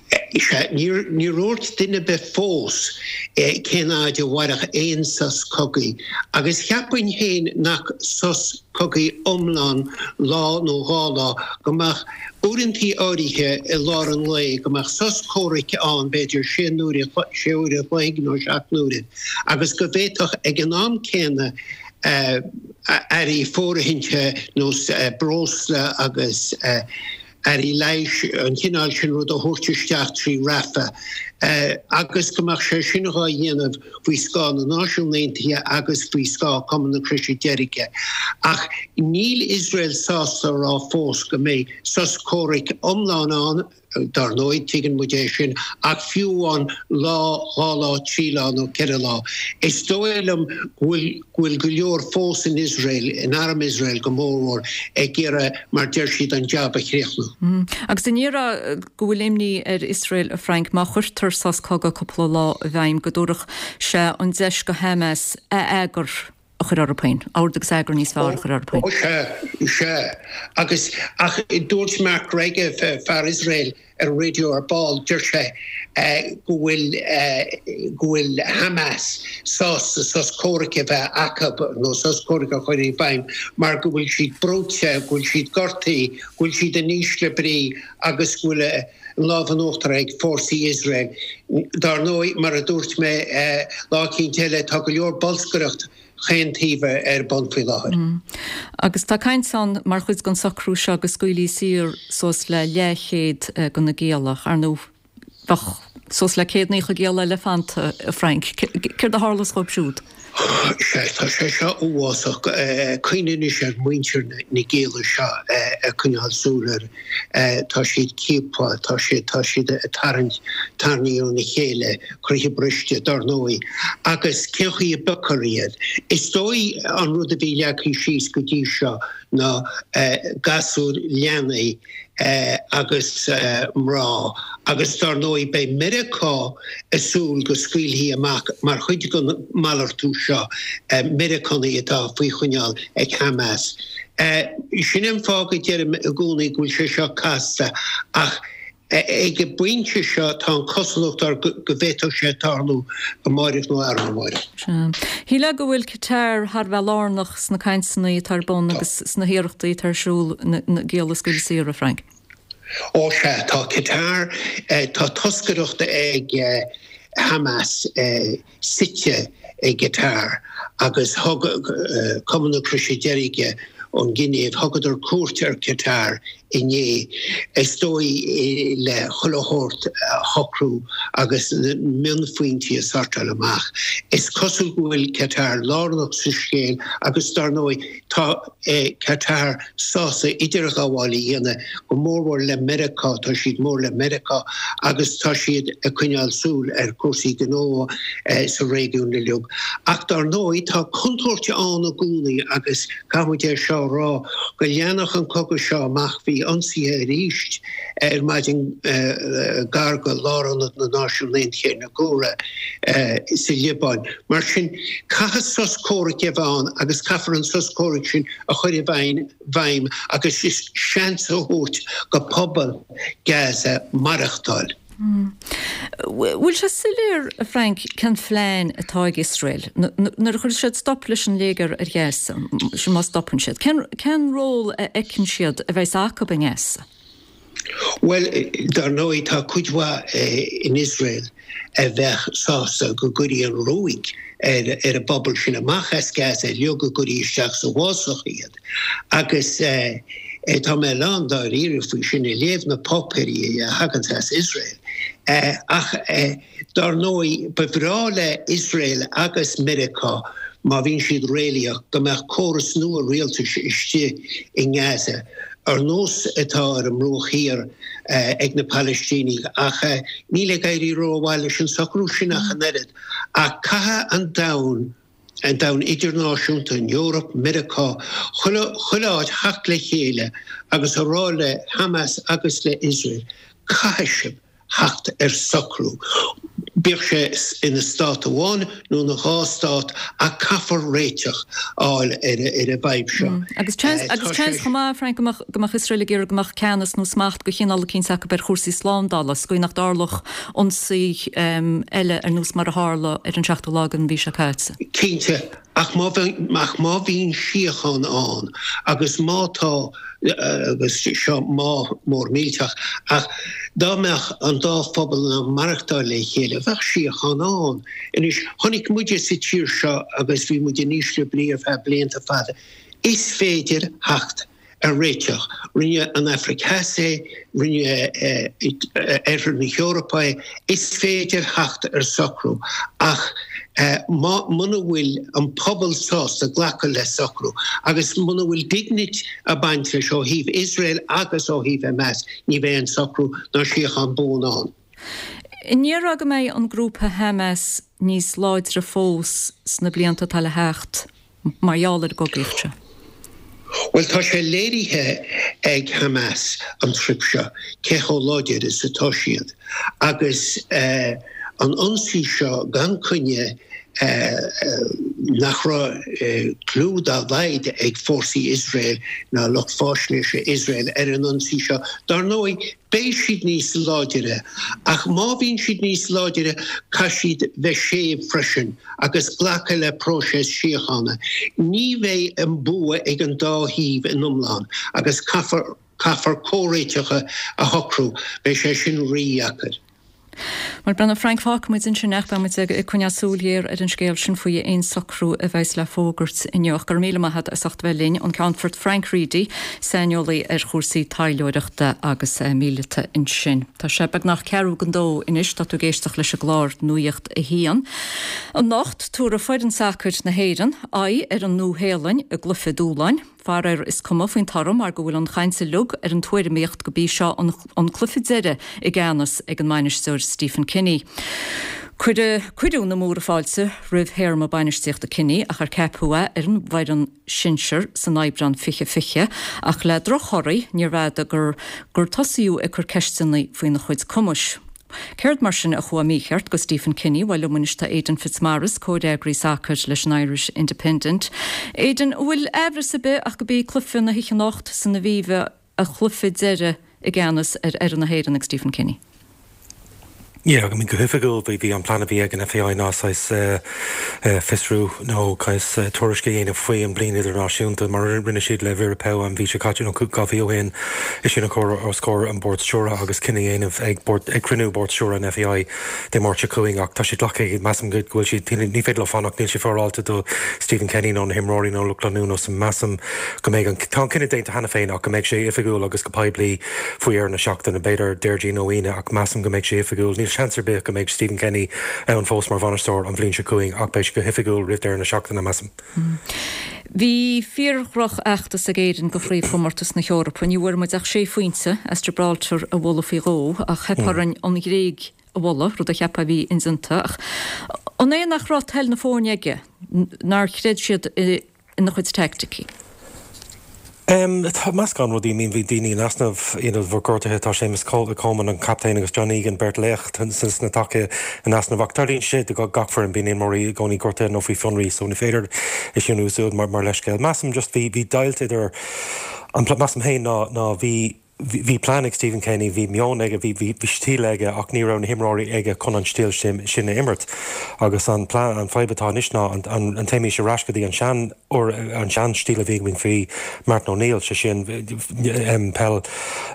Sea, níor dhúirt duine ar bith fós cén fhaid a mhairfeadh aon sos cogaidh, agus cheapfainn féin nach sos cogaidh iomlán lá nó dhá lá, go mbeadh uaireantaí áirithe i lár an lae, go mbeadh sos comhraic ann b'fhéidir sé n-uaire, sé uaire a chloig nó seacht n-uaire, agus go bhféadfadh ag an am céanna earraí fóirithinte nós breosla agus. earraí leighis, an cineál sin rud a thabhairt isteach trí Rafah agus go mbeadh sé sin dhá dhéanamh faoi scáth na Náisiún Aontaithe agus faoi scáth Cumann na Croise Deirge. Ach níl Iosrael sásta a rá fós go mbeidh sos comhraic iomlán ann. Dar ndóigh, tuigeann muid é sin, ach fiú amháin lá, dhá lá, trí lá nó ceithre lá, is dóigh liom go bhfuil go bhfuil go leor fós in Iosrael, in arm Iosrael go mórmhór, ag iarraidh, mar deir siad, an jab a chríochnú. Agus an ndéarfá go bhfuil imní ar Iosrael, a Frank, má chuirtear sos cogaidh cúpla lá i bhfeidhm, go dtabharfadh sé an deis go Hamas a eagar a chur orthu féin, ord agus eagar níos fearr a chur orthu féin? Ó sea, sea. Agus, ach dúirt Mark Regev, fear Iosrael, ar an raidió ar ball, deir sé go bhfuil, go bhfuil Hamas sásta sos comhraic a bheith acu, nó sos comhraic a chur i bhfeidhm, mar go bhfuil siad brúite, go bhfuil siad gortaithe, go bhfuil siad in ísle brí agus go bhfuil an lámh in uachtar ag fórsaí Iosrael. Dar ndóigh, mar a dúirt mé lá eicínt eile, tá go leor bolscaireacht chaon taobh ar bun faoi láthair. Agus tá caint ann mar chuid den socrú seo go scaoilfí saor suas le leathchéad de na gialla. Ar ndóigh, bheadh suas le céad naocha gialla eile fanta, a Frank. Céard a tharlós dhóibh siúd? Sea, tá sé seo uafásach. Cuimhnigh anois ar mhuintir na gialla seo ag coinneáil súil air. Tá siad ciaptha, tá siad, tá siad ag tarraingt tairní óna chéile, croíthe briste, dar ndóigh. Agus cén chaoi a bpiocfar iad? Is dóigh an rud a bhí leagtha síos go dtí seo ná gasúir, leanaí agus mná agus dar ndóigh beidh Meiriceá ag súil go scaoilfí amach mar chuid den malartú seo Meiriceánaigh atá faoi choinneáil ag Hamas. Sin an fáth go deirim i gcónaí go bhfuil sé seo casta ach ag an bpointe seo tá an chosúlacht air go bhféadfadh sé tarlú amáireach nó arna mháireach. Sea. Shílfeá go bhfuil Qatar thar a bheith lárnach sna cainteanna atá ar bun agus sna hiarrachtaí atá ar siúl na gialla a scaoileadh saor, a Frank. Ó sea, tá Qatar, tá toscaireacht ag Hamas suite i gCatar agus thug Cumann na Croise Deirge ón Ghinéiv, thugadar cuairt ar Qatar inné, is dóigh le chuile shórt a shocrú agus na mionphointí a shortáil amach. Is cosúil go bhfuil Qatar lárnach sa scéal agus dar ndóigh tá Qatar sásta idirghabháil a dhéanamh, go mórmhór le Meiriceá, tá siad mór le Meiriceá agus tá siad ag coinneáil súil ar chúrsaí gnó sa réigiún uilig. Ach dar ndóigh tá contúirt ann i gcónaí agus caithfidh muid é seo a rá, go leanfadh an cogadh seo amach, bhí ionsaithe arís ar maidin gar go lárionad na Náisiún Aontaithe ar na Cúra sa Liobáin. Mar sin, caithfidh sos comhraic a bheith ann agus caithfear an sos comhraic sin a chur i bhfeidhm agus seans a thabhairt go pobal Gaza maireachtáil. Bhfuil sé soiléir, a Frank, cén phlean atá ag Iosrael nuair a chuirfidh siad stop leis an léigear ar Ghaza, sin má stopann siad? Cén ról a fheiceann siad a bheas acu i nGaza? Bhuel, dar ndóigh, tá cuid mhaith in Iosrael a bheadh sásta go gcuirfí an ruaig ar an bpobal sin amach as Gaza uilig, go gcuirfí isteach sa bhfásach iad. Agus tá mé lán dáiríre faoi sin, ag léamh na páipéirí a thaganns as Iosrael. Ach dar ndóigh, ba bhreá le Iosrael agus Meiriceá, má bhíonn siad réalaíoch, go mbeadh córas nua rialtais istigh i nGaza, ar nós atá ar an mBruach Thiar ag na Palaistínigh. Ach níl ag éirí rómhaith leis an socrú sin ach an oiread. Ach caithfidh an domhan, an domhan idirnáisiúnta, an Eoraip, Meiriceá, chuile, chuile áit theacht le chéile agus a rá le Hamas agus le Iosrael, caithfidh sibh theacht ar socrú, bíodh sé ina stát amháin nó ina dhá stát, ach caithfear réiteach a fháil ar an bhfadhb seo. Agus seans chomh maith, Frank, go mbeadh Iosrael ag iarraidh go mbeadh ceannas nó smacht de chineál eicínt acu ar chúrsaí slándála, sa gcaoi nach dtarlódh ionsaí eile ar nós mar a tharla ar an seachtú lá den mhí seo caite. Cinnte. Ach má má bhíonn síocháin ann agus má tá, agus seo má mór millteach, ach dá mbeadh an dá phobal in ann maireachtáil le chéile, bheadh síocháin ann. Anois, chonaic muide sa tír seo agus bhí muid in ísle brí ar feadh blianta fada, is féidir theacht ar réiteach. Rinne an Afraic Theas é, rinne Oirthear na hEorpa é, is féidir theacht ar socrú ach muna bhfuil an pobal sásta glacadh le socrú agus muna bhfuil dínit ag baint leis ó thaobh Iosrael agus ó thaobh Hamas, ní bheidh an socrú ná síocháin buan ann. An ndéarfá go mbeidh an grúpa Hamas níos láidre fós sna blianta atá le theacht mar gheall ar an gcogaíocht seo? Bhuel, tá sé léirithe ag Hamas an trip seo cé chomh láidir is atá siad agus an ionsaí seo gan coinne nach raibh clue dá laghad ag fórsaí Iosrael ná lucht faisnéise Iosrael ar an ionsaí seo. Dar ndóigh, beidh siad níos láidire, ach má bhíonn siad níos láidire, caithfidh siad bheith séimh freisin agus glacadh le próiseas síochána. Ní bheidh an bua ag an dá thaobh in iomlán agus caithfear caithfear comhréiteacha a shocrú, beidh sé sin rídheacair. Mar brenna Frank fágfaidh muid ansin ach beidh muid ag coinneáil súil ghéar ar an scéal sin faoi aon socrú a bheas le fógairt inniu. Go raibh míle maith agat as ucht bheith linn, an Ceannfort Frank Reidy, saineolaí ar chúrsaí taidhleoireachta agus míleata ansin. Tá sé beagnach ceathrú don dó anois, tá tú ag éisteacht leis an gclár Nuacht a hAon. Anocht, tabharfaidh foireann sacair na hÉireann aghaidh ar an Nua-Shéalainn i gcluiche dúshláin. Faraor is cuma faoin toradh mar go bhfuil an chaint uilig ar an tuairimíocht go b'í seo an, an cluiche deiridh i gceannas ag an mbainisteoir Stephen Kenny. Cuireadh cuireadh na múra fáilte roimh théarma bainistíochta Kenny ach ar ceapadh é ar an bhfoireann sinsear san Aibreán fiche fiche ach le drochthorthaí níorbh fhada gur gur tosaíodh ag cur ceisteanna faoina chuid cumais. Céard mar sin a chuaigh mícheart go Stephen Kenny, bhuel liom anois tá Aidan Fitzmaurice, comhfhreagraí sacair leis an Irish Independent. Aidan, an bhfuil aimhreas ar bith ach go b'í cluiche na hoíche anocht san Aviva a chluiche deiridh i gceannas ar fhoireann na hÉireann ag Stephen Kenny? Yeah, I mean, go hoifigiúil bhí bhí an plean a bhí ag an F A I ná saghas fiosrú nó saghas tuairisc a dhéanamh faoi an bliain idirnáisiúnta mar rinne siad le Vera Pauw an mhí seo caite nó dhá mhí ó shin é sin a chur os comhair an bord stiúrtha agus cinneadh a dhéanamh ag bord ag cruinniú bord stiúrtha an F A I Dé Máirt seo chugainn ach tá siad glactha measaim go bhfuil siad ní féidir leo fanacht níl sé féaráilte do Stephen Kenny nó na himreoirí nó lucht leanúna so measaim go mbeidh an tá an cinneadh déanta cheana féin ach go mbeidh sé oifigiúil agus go poiblí faoi dheireadh na seachtaine b'fhéidir Déardaoin nó Aoine ach measaim go mbeidh sé oifigiúil. Níl seans ar bith go mbeidh Stephen Kenny ann fós mar bhainisteoir an bhliain seo chugainn ach beidh sé go hoifigiúil roimh deireadh na seachtaine measaim. Bhí fíordhrochfheachtas ag Éirinn go chraobhchomórtas na hEorpa, ní bhfuair muid ach sé phointe as Gibraltar a bhualadh faoi dhó ach theip orainn an Ghréig a bhualadh, rud a cheapfá a bhí indéanta ach an é nach raibh toil na foirne aige nár chreid siad ina chuid teaicticí. Um, tá meascán rudaí mín bhí daoine in easnamh bhí gortuithe tá Séamus Coleman an captaen agus John Egan beirt laoch sna taca in easnamh ach tarlaíonn sé do gach foireann bíonn imreoirí i gcónaí gortaithe nó faoi fionraí so ní féidir é sin úsáid mar mar leithscéal. Measaim just bhí bhí deighilt idir an measaim féin ná ná bhí bhí plean ag Stephen Kenny, bhí meon aige, bhí bhí stíl aige ach ní raibh na himreoirí aige chun an stíl sin sin a imirt. Agus an plean an fadhb atá anois ná an, an, an dtéimis ar ais go dtí an sean or an sean stíl a bhí againn faoi Martin O'Neill sé sin um, peil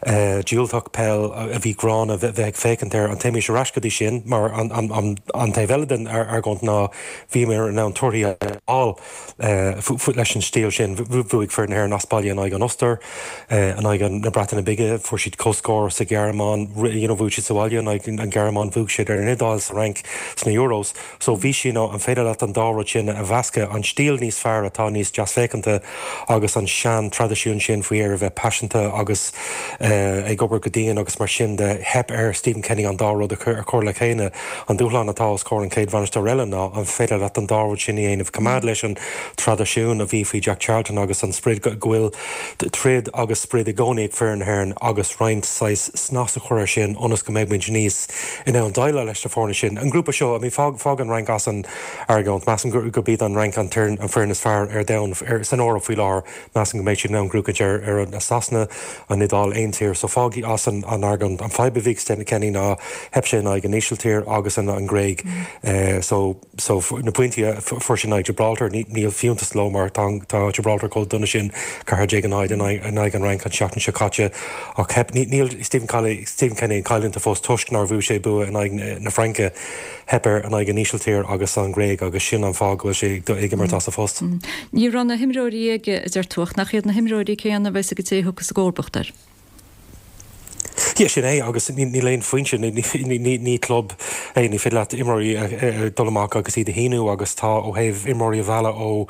uh, diúltach peil a bhí gránna bheith ag féachaint air an dtéimis ar ais go dtí sin mar an, an, an, an taobh eile den ar argóint ná bhíomar in ann torthaí a fháil uh, leis an stíl sin bhuaigh foireann na hÉireann as baile in aghaidh an Ostair uh, in aghaidh na Breataine Bige fuair siad comhscór sa Ghearmáin you know, bhuaigh siad sa bhaile in aghaidh an Ghearmáin bhuaigh siad ar an Iodáil sa Fhrainc sna Euros so bhí sí nó an féidir leat an dá rud sin a mheascadh an stíl níos fearr atá níos deasfhéachanta agus an sean traidisiún sin faoi ar a bheith paiseanta agus uh, ag obair go dian agus mar sin de theip ar Stephen Kenny an dá rud a chur chur le chéile an dúshlán atá os comhair an chéad bhainisteoir eile ná an féidir leat an dá rud sin a dhéanamh coimeád leis an traidisiún a bhí faoi Jack Charlton agus an sprid go bhfuil troid agus sprid i gcónaí ag foireann na hÉireann agus roinnt saghas snas a chur sin ionas go mbeidh muid níos in ann déileáil leis na foirne sin. An grúpa seo mí fág fág an Fhrainc as an argóint measaim go go b'iad an Fhrainc an an foireann is fearr ar domhan ar san Eoraip faoi láthair measaim go mbeidh siad in ann gnóthachaint ar ar an Sasana an Iodáil aon tír so fág as an an argóint an fadhb a bhí Stephen Kenny ná theip sé in aghaidh an Ísiltír agus an an Ghréig uh, so so na pointí fuair sé in aghaidh Gibraltar níl fiúntas leo mar tá tá Gibraltar chomh dona sin ceathair déag a náid in aghaidh an Fhrainc an seachtain seo caite. Ach theip, níl Stephen Kelly, Stephen Kenny ag cailliúint fós toisc nár bhuaigh sé bua in aghaidh na Fraince, theip air in aghaidh an Ísiltír agus an Ghréig agus sin an fáth go bhfuil sé ag imirt as a phost. Ní raibh na himreoirí aige, a deir tú, ach nach iad na himreoirí céanna a bheas ag an té a thiocfas i gcomharbacht air? Yeah, sin é agus níl aon foinse, ní club é, ní féidir leat imreoirí dul amach agus iad a shíniú agus tá ó thaobh imreoirí a mhealladh ó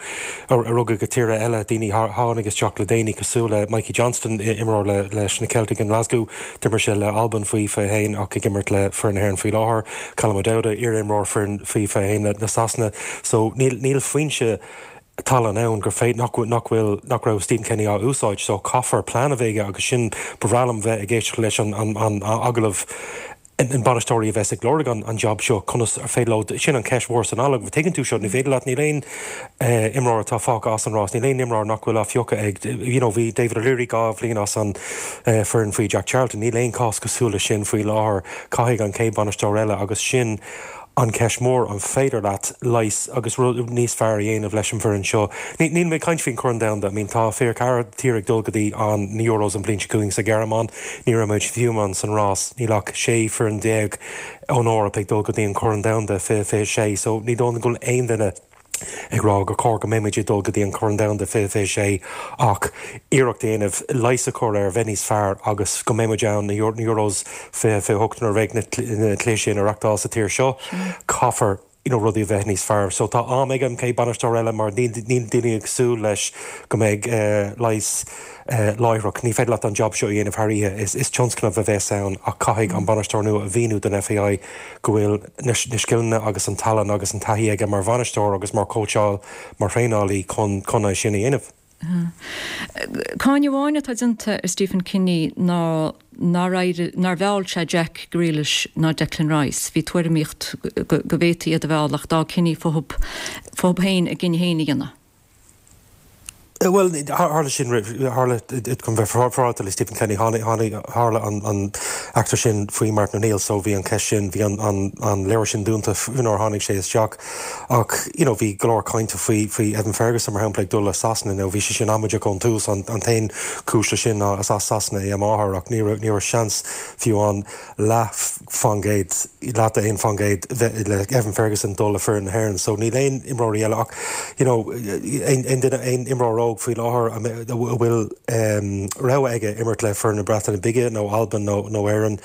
a rugadh go tíortha eile, daoine a tháinig isteach le déanaí cosúil le Mikey Johnston, imreoir le leis na Celtic in Glasgow, d'imir sé le Albain faoi fiche haon ach ag imirt le foireann na hÉireann faoi láthair, Callum O'Dowda, iar-imreoir foireann faoi fiche haon na Sasana. So níl níl foinse tallann ann gur féidir nach nach bhfuil nach raibh Stephen Kenny á úsáid so caithfear plean a bheith aige agus sin ba bhreá liom bheith ag éisteacht leis an an an agallamh an bainisteoirí a bheas ag lorg an an job seo conas ar féidir leo sin an ceist mhór san agallamh tuigeann tú seo ní féidir leat níl aon eh, imreoir atá fágtha as an rás níl aon imreoir nach bhfuil á phiocadh ag you know bhí David O'Leary dhá bhliain as an eh, foireann faoi Jack Charlton níl aon cás cosúil leis sin faoi láthair caithfidh an chéad bainisteoir eile agus sin an ceist mór an féidir leat leigheas agus rud níos fearr a dhéanamh leis an bhfoireann seo. Níl mé ag caint faoin Chorn Domhanda, I mean tá fiche ceathair tír ag dul go dtí an na Euros an bhliain seo chugainn sa Ghearmáin, ní raibh muid fiú amháin san rás, níl ach sé foireann déag ón Eoraip ag dul go dtí an Corn Domhanda fiche fiche sé, so ní dóigh go bhfuil aon duine ag rá gur chóir go mbeimid ag dul go dtí an Corn Domhanda fiche fiche sé ach iarracht a dhéanamh leigheas a chur air bheith níos fearr agus go mbeimid ann na Euros fiche fiche hocht nuair a bheidh na cluichí sin á reáchtáil sa tír seo. Caithfear you know, rudaí a bheith níos fearr. So tá am ag an chéad bainisteoir eile mar níl daoine ag súil leis go mbeidh uh, leigheas uh, láithreach. Ní féidir leat an job seo a dhéanamh thar oíche is, is tionscnamh a bheas ann ach caithfidh an bainisteoir nua a mhíniú don FAI go bhfuil na, na scileanna agus an tallann agus an taithí aige mar bhainisteoir agus mar cóitseáil mar thraenálaí chun chun é sin a dhéanamh. Cáineadh amháin atá déanta ar Stephen Kenny ná nár nár mheall sé Jack Grealish ná Declan Rice. Bhí tuairimíocht go bhféadfaí iad a mhealladh ach d'fhág Kenny fúthu fúthu féin a gcinneadh féin a dhéanamh. Well tharla sin tharla chun bheith féaráilte le Stephen Kenny tharla an an eachtra sin faoi Martin O'Neill so bhí an ceist sin bhí an an an leabhar sin dúnta nuair tháinig sé isteach ach you know bhí go leor cainte faoi faoi Evan Ferguson mar shampla ag dul le Sasana nó bhí sé sin amaideach ón tús an an t-aon chúis leis sin ná as as Sasana é a máthair ach ní ní raibh seans fiú an leath faoin gcéad leath d'aon faoin gcéad le Evan Ferguson dul le foireann na hÉireann so níl aon imreoirí eile ach you know aon duine aon imreoir óg faoi láthair a bhfuil rogha aige imirt le foireann na Breataine Bige nó Albain nó nó Éirinn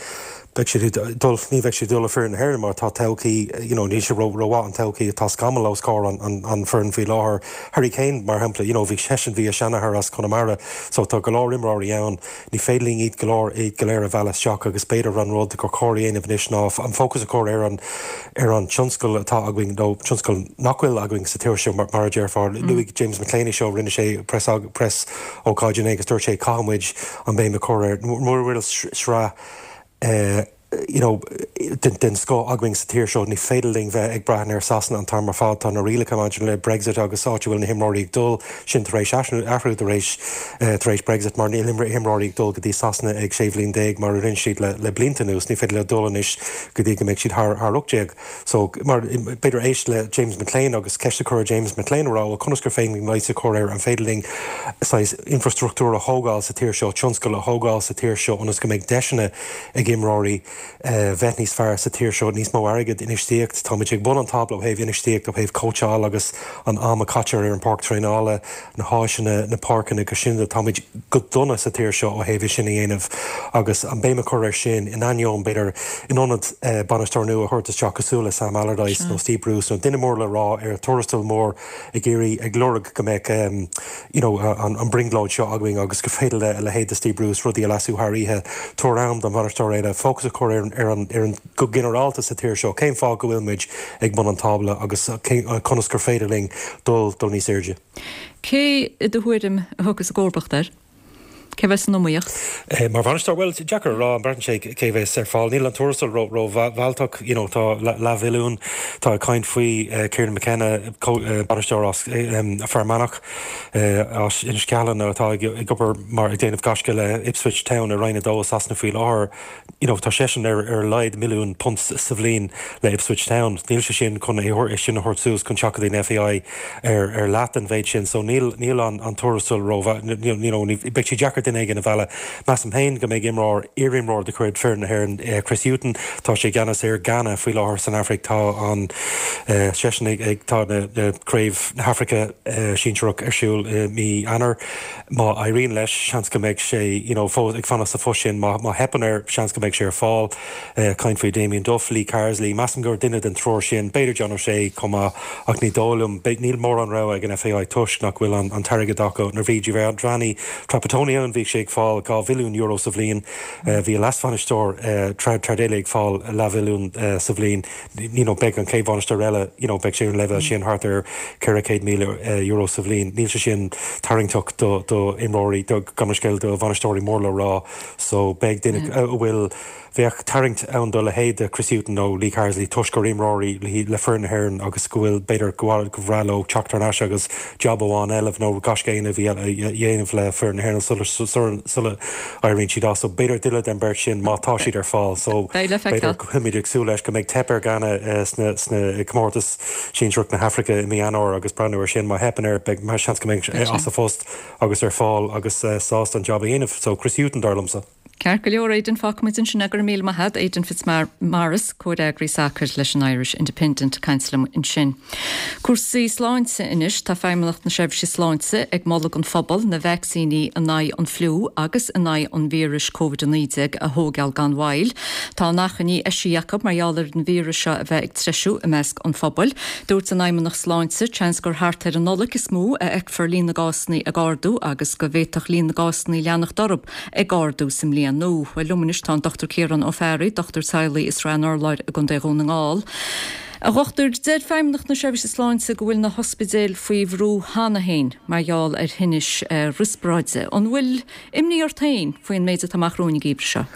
beidh siad dul ní bheidh siad dul le foireann na hÉireann mar tá todhchaí you know níl sé ró rómhaith an todhchaí atá scamall os comhair an an an foireann faoi láthair Harry Kane mar shampla you know bhí seisean bhí a sheanathair as Conamara so tá go leor imreoirí ann ní féidir linn iad go léir iad go léir a mhealladh isteach agus b'fhéidir an rud gur chóir a dhéanamh anois ná an fócas a chur ar an ar an tionscal atá againn nó tionscal nach bhfuil againn sa tír seo mar mar a déarfá luaigh James McClean seo rinne sé press press ócáid inné agus dúirt sé caithfimid an béim a chur ar mura bhfuil sraith uh, you know, den, den scoth againn sa tír seo ní féidir linn bheith ag brath ar Sasana an t-am ar fad tá na rialacha maidir le Brexit agus áit a bhfuil na himreoirí ag dul sin tar éis athrú tar éis uh, tar éis Brexit mar níl imreoirí ag dul go dtí Sasana ag sé bhliain déag mar a rinne siad le, le blianta anuas ní féidir le dul anois go dtí go mbeidh siad thar thar ocht déag. So mar b'fhéidir éist le James McClean agus ceist a chur James McClean rá conas gur féidir linn leigheas a chur ar an féidir linn infrastruchtúr a thógáil sa tír seo tionscal a thógáil sa tír seo ionas go mbeidh deiseanna ag imreoirí uh, bheith níos fearr sa tír seo níos mó airgead infheistíocht Táimid ag bun an tábla ó thaobh infheistíocht ó thaobh cóitseáil agus an am a chaitear ar an bpáirc traenála na háiseanna na páirceanna go sin táimid go dona sa tír seo ó thaobh sin a dhéanamh agus an béim a chur ar sin in ainneoin b'fhéidir in ionad uh, bainisteoir nua a thabhairt isteach cosúil le Sam Allardyce nó Steve Bruce nó duine mór le rá ar tuarastal mór ag iarraidh ag lorg go mbeidh um, you know, an, an brionglóid seo againn agus go féidir le le leithéid Steve Bruce rudaí a leasú thar oíche tabhair am don bhainisteoir eile fócas a chur ar ar an ar an go ginearálta sa tír seo cén fáth go bhfuil muid ag bun an tábla agus conas gur féidir linn dul dul níos airde. Cé i do thuairim a thiocfas i gcomharbacht air? Cé bheas san iomaíocht? Eh, mar bhainisteoir well deacair rá an brean sé cé bheas ar fáil níl an tuarastal ró rómhealltach you know, tá leathmhilliún tá caint faoi uh, Kieran McKenna uh, bainisteoir as um, Fear Manach uh, as Inis Ceithleann atá ag ag obair mar ag déanamh gaisce le Ipswich Town i Roinn a dó Sasana faoi láthair you know, tá seisean ar ar leid milliún punt sa bhliain le Ipswich Town. Níl sé sin chun é sin a thabhairt suas chun teacht an FAI ar ar leath an mhéid sin, so níl níl an an tuarastal ró you know, beidh sé deacair deacair duine éigin a mhealladh. Measaim féin go mbeidh imreoir, iarimreoir de chuid foireann na hÉireann, Chris Hughton, tá sé i gceannas ar Ghana faoi láthair san Afraic, tá an seisean ag ag tá na Craobh na hAfraice sinsearach ar siúl i mí Eanáir. Má éiríonn leis, seans go mbeidh sé you know fós ag fanacht sa phost sin, má má theipeann air, seans go mbeidh sé ar fáil. Caint faoi Damien Duff, Lee Carsley, measaim gur duine den triúr sin, b'fhéidir John O'Shea chomh maith ach ní dóigh liom, níl mórán rogha ag an FAI toisc nach bhfuil an t-airgead acu. Nuair a bhí Giovanni Trapattoni ann bhí sé ag fáil dhá mhilliún euro sa bhliain, bhí a leasbhainisteoir Tardelli ag fáil leathmhilliún sa bhliain. You know, beidh an chéad bhainisteoir eile, you know, beidh sé ar an leibhéal sin, thart ar ceithre chéad míle euro sa bhliain. Níl sé sin tarraingteach do do imreoirí, do gabh mo leithscéal do bhainisteoirí mór le rá. So beidh duine a bhfuil Bheadh tarraingt ann do leithéid de Chris Hughton nó Lee Carsley toisc gur imreoirí le foireann na hÉireann agus go bhfuil, b'fhéidir, go bhreá leo teacht thar n-ais agus jab amháin eile nó gaisce a dhéanamh le foireann na hÉireann sula éiríonn siad as. So b'fhéidir duine den bheirt sin má tá siad ar fáil. So b'fhéidir go bhfuilimid ag súil leis go mbeidh teip ar Ghana sna sna comórtais sinsearach na hAfraice i mí Eanáir agus breathnú ar sin. Má theipeann air beidh seans go mbeidh as a phost agus ar fáil agus sásta an jab a dhéanamh. So Chris Hughton dar liomsa. Ceart go leor, Aidan, fágfaimid ansin é, go raibh míle maith agat, Aidan Fitzmaurice, comhfhreagraí sacair leis an Irish Independent ag caint liom ansin. Cúrsaí sláinte anois, tá Feidhmeannacht na Seirbhíse Sláinte ag moladh don phobal na vacsaíní in aghaidh an fliú agus in aghaidh an víris Covid a naoi déag a thógáil gan mhoill. Tá an achainí eisithe acu mar gheall ar an víreas seo a bheith ag treisiú i measc an phobail. Dúirt an Fheidhmeannach Sláinte seans gur thart ar an Nollaig is mó a fheicfear líon na gcásanna ag ardú agus go bhféadfadh líon na gcásanna leanacht orthu ag ardú sa mbliain nua. Bhuel, liom anois tá an Dochtúir Ciarán Ó Fearraigh, dochtúir teaghlaigh i Srath an Urláir i gContae Dhún na nGall. A dhochtúir, deir Feidhmeannacht na Seirbhíse Sláinte go bhfuil na hospidéil faoi bhrú cheana féin mar gheall ar thinnis riospráide. An bhfuil imní ort féin faoin méid atá amach romhainn an geimhreadh seo?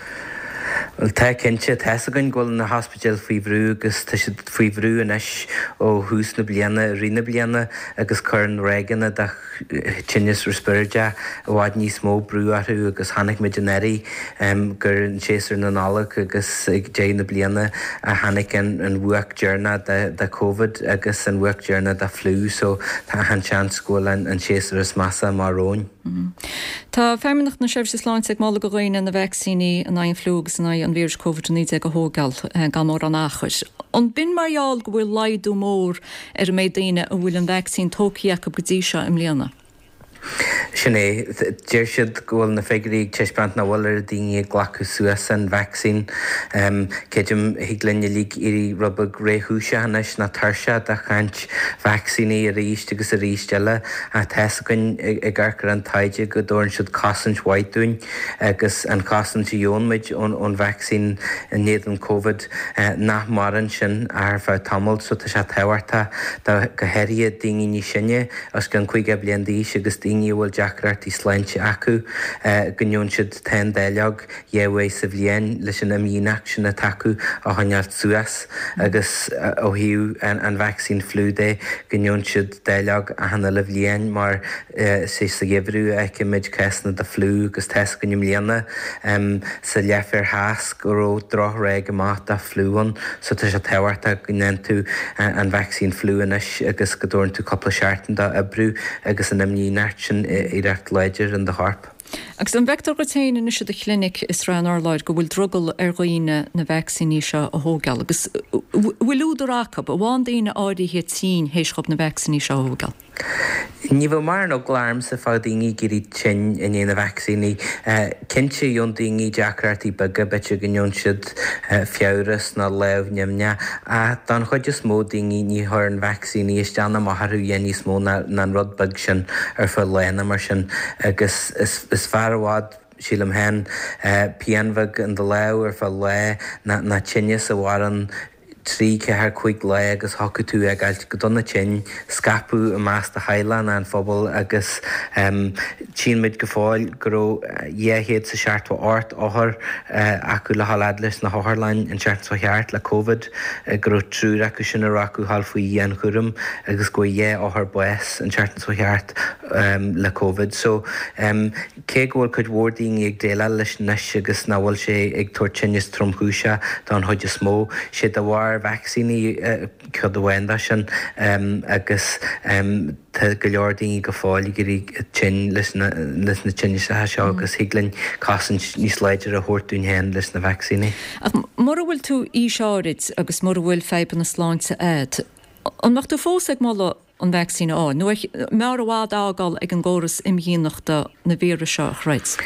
Bhuel, tá cinnte, tá fhios againn go bhfuil na hospidéil faoi bhrú agus tá siad faoi bhrú anois ó thús na bliana, i rith na bliana agus cuireann ráigeanna de tinneas riospráideach i bhfad níos mó brú orthu agus chonaic muid anuraidh gur in séasúr na Nollag agus ag deireadh na bliana a tháinig an bhuaic deireanach de Covid agus an bhuaic deireanach de fliú so tá an seans go bhfuil an séasúr is measa amach romhainn. Tá Feidhmeannacht na Seirbhíse Sláinte ag moladh do dhaoine na vacsaíní in aghaidh an fliú agus in aghaidh an víris Covid a naoi déag a thógáil gan mórán achair. An b'in mar gheall go bhfuil laghdú mór ar an méid daoine a bhfuil an vacsaín tógtha acu go dtí seo i mbliana? Sin é. Deir siad go bhfuil na figiúirí ag taispeáint nach bhfuil oiread daoine ag glacadh suas an vacsaín. Creidim, thig linn uilig éirí rud beag réchúiseach anois nó tuirseach de chaint vacsaíní arís agus arís eile ach tá fhios againn ag amharc ar an taighde go dtabharann siad cosaint mhaith dúinn agus an chosaint a gheobhann muid ón vacsaín in éadan Covid nach maireann sin ach ar feadh tamaill so tá sé tábhachtach do go háirithe daoine níos sine, os cionn caoga bliain d'aois agus daoine a bhfuil deacrachtaí sláinte acu, go ngeobhann siad an dáileog dhá uair sa bhliain leis an imdhíonacht sin atá acu a choinneáilt suas agus ó thaobh an vacsaín fliú de, go ngeobhann siad dáileog achan uile bhliain mar is é sa gheimhreadh a fheicimid cásanna de fliú agus tá fhios againn i mbliana sa leathsféar theas go raibh droch-ráig amach de fliú ann so tá sé tábhachtach go ndéanann tú an vacsaín fliú anois agus go dtabharann tú cúpla seachtain dó oibriú agus an imdhíonacht sin éireacht láidir in do chorp. Agus an bhfeictear dhuit féin anois i do chlinic i Srath an Urláir go bhfuil drogall ar dhaoine na vacsaíní seo a thógáil agus bhfuil údar acu, an bhfaigheann daoine áirithe tinn théis dhóibh na vacsaíní seo a thógáil? Ní bheadh mórán eagla ormsa fá daoine ag éirí tinn i ndiaidh na vacsaíní. Cinnte, gheobhann daoine deacrachtaí beaga, b'fhéidir go ngeobhann siad fiabhras nó lámh nimhneach, ach don chuid is mó daoine ní chuireann vacsaíní isteach ná amach orthu a dhath níos mó ná an rud beag sin ar feadh lá nó mar sin agus is fearr i bhfad, sílim féin, pian bheag in do lámh ar feadh lá ná tinneas a mhaireann trí, ceathair, cúig lá agus thiocfadh tú a fhágáilt go dona tinn, scaipeadh i measc do theaghlach ná an phobail agus tchíonn muid go fóill go raibh dhá chéad 's a seachtó ocht othar acu le dhul fhad leis na hotharlann an tseachtain seo thart le Covid, go raibh triúr acu sin a raibh acu dhul faoi dhianchúram agus go bhfuair dhá othar bás an tseachtain seo thart le Covid. So cé go bhfuil cuid mhór daoine ag déileáil leis anois agus nach bhfuil sé ag tabhairt tinneas tromchúiseach don chuid is mó, sé de bharr leor vacsaíní, ceann amháin de sin, agus tá go leor daoine go fóill ag éirí tinn leis na tinneasacha seo agus thig linn cosaint níos láidre a thabhairt dúinn féin leis na vacsaíní. Ach mura bhfuil tú aois áirid agus mura bhfuil fadhbanna sláinte agat, an mbeadh tú fós ag moladh an vacsaín a fháil, nó mb'fhearr i bhfad a fhágáil ag an gcóras imdhíonachta na víris seo a throid?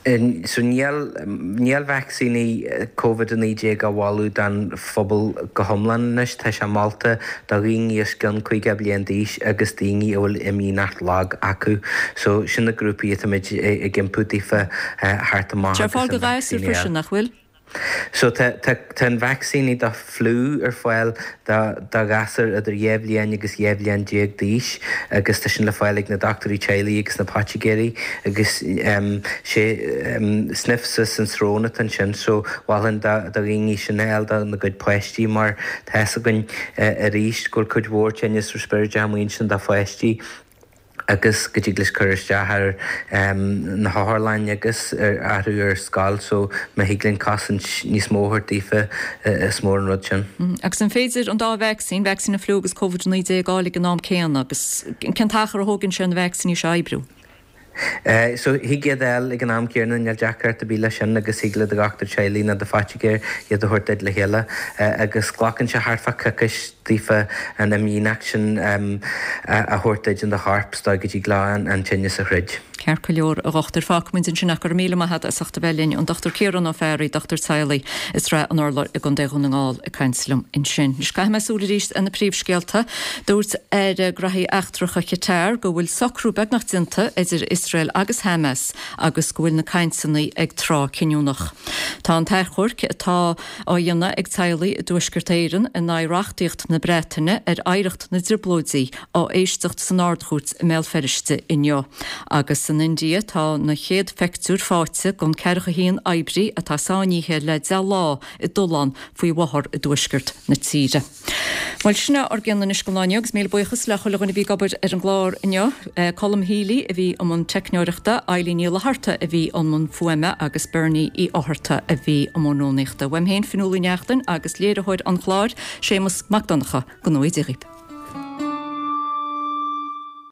So níl, níl vacsaíní Covid a naoi déag á mholadh don phobal go hiomlán anois. Tá sé molta do dhaoine os cionn caoga bliain d'aois agus daoine a bhfuil imdhíonacht lag acu. So sin na grúpaí atáimid ag iompú daofa theacht amach Tá ar agus fáil do an ghasúir vacsaín a fháil. freisin, nach bhfuil? So tá tá tá an vacsaíní do fliú ar fáil do do ghasúir idir dhá bhliain agus dhá bhliain déag d'aois agus tá sin le fáil ag na dochtúirí teaghlaigh agus na poitigéirí agus em sé em sniff suas an srón atá ansin so mholfainn do do dhaoine sin a fháil do na gcuid páistí mar tá fhios againn eh arís go bhfuil cuid mhór tinneas rispíreach amuigh ansin do pháistí agus go dtig leis cur isteach ar na hotharlainn agus ar athrú ar scoil so má thig linn cosaint níos mó a thabhairt daofa is mór an rud sin. Agus an féidir an dá vacsaín, vacsaín an fliú agus Covid a naoi déag, a fháil ag an am céanna agus cén t-achar a thógann sé na vacsaíní seo a oibriú? So thig iad a fháil ag an am céanna, níl deacracht ar bith leis sin agus thig le do dhochtúir teaghlaigh nó do phoitigéir iad a thabhairt duit le chéile agus glacann sé thart fá coicís daofa an imdhíonacht sin a thabhairt duit in do chorp is dóigh go dtig leo an tinneas a throid. Ceart go leor, a dhochtúir. Fágfaimid ansin ach go raibh míle maith agat as ucht a bheith linn, an Dochtúir Ciarán Ó Fearraigh, dochtúir teaghlaigh i Srath an Urláir i gContae Dhún na nGall ag caint liom ansin. Anois caithfidh mé súil arís ar na príomhscéalta. Dúirt Aire Graithí Eachtracha Qatar go bhfuil socrú beagnach déanta idir Iosrael agus Hamas agus go bhfuil na cainteanna ag tráth cinniúnach. Tá an t-achomharc atá á dhéanamh ag teaghlaigh i dTuaisceart Éireann in aghaidh reachtaíocht na Breataine ar oidhreacht na dTrioblóidí á éisteacht san Ard-Chúirt i mBéal Feirste inniu. Agus san India tá na chéad phictiúir faighte den ceathracha a haon oibrí atá sáinnithe le deich lá i dtollán faoi bhóthar i dtuaisceart na tíre. Bhuel, sin é ár gcion anois don lá inniu agus míle buíochas le chuile dhuine a bhí ag obair ar an gclár inniu. Colm Healy a bhí i mbun teicneoireachta, Eileen Ní Fhlatharta a bhí i mbun fuaime agus Bernie Uí Fhátharta a bhí i mbun rúnaíochta. Uaim féin, Fionnuala Ní Neachtain agus léiritheoir an chláir, Séamus Mac Donncha, go ngnóthaí Dia dhaoibh.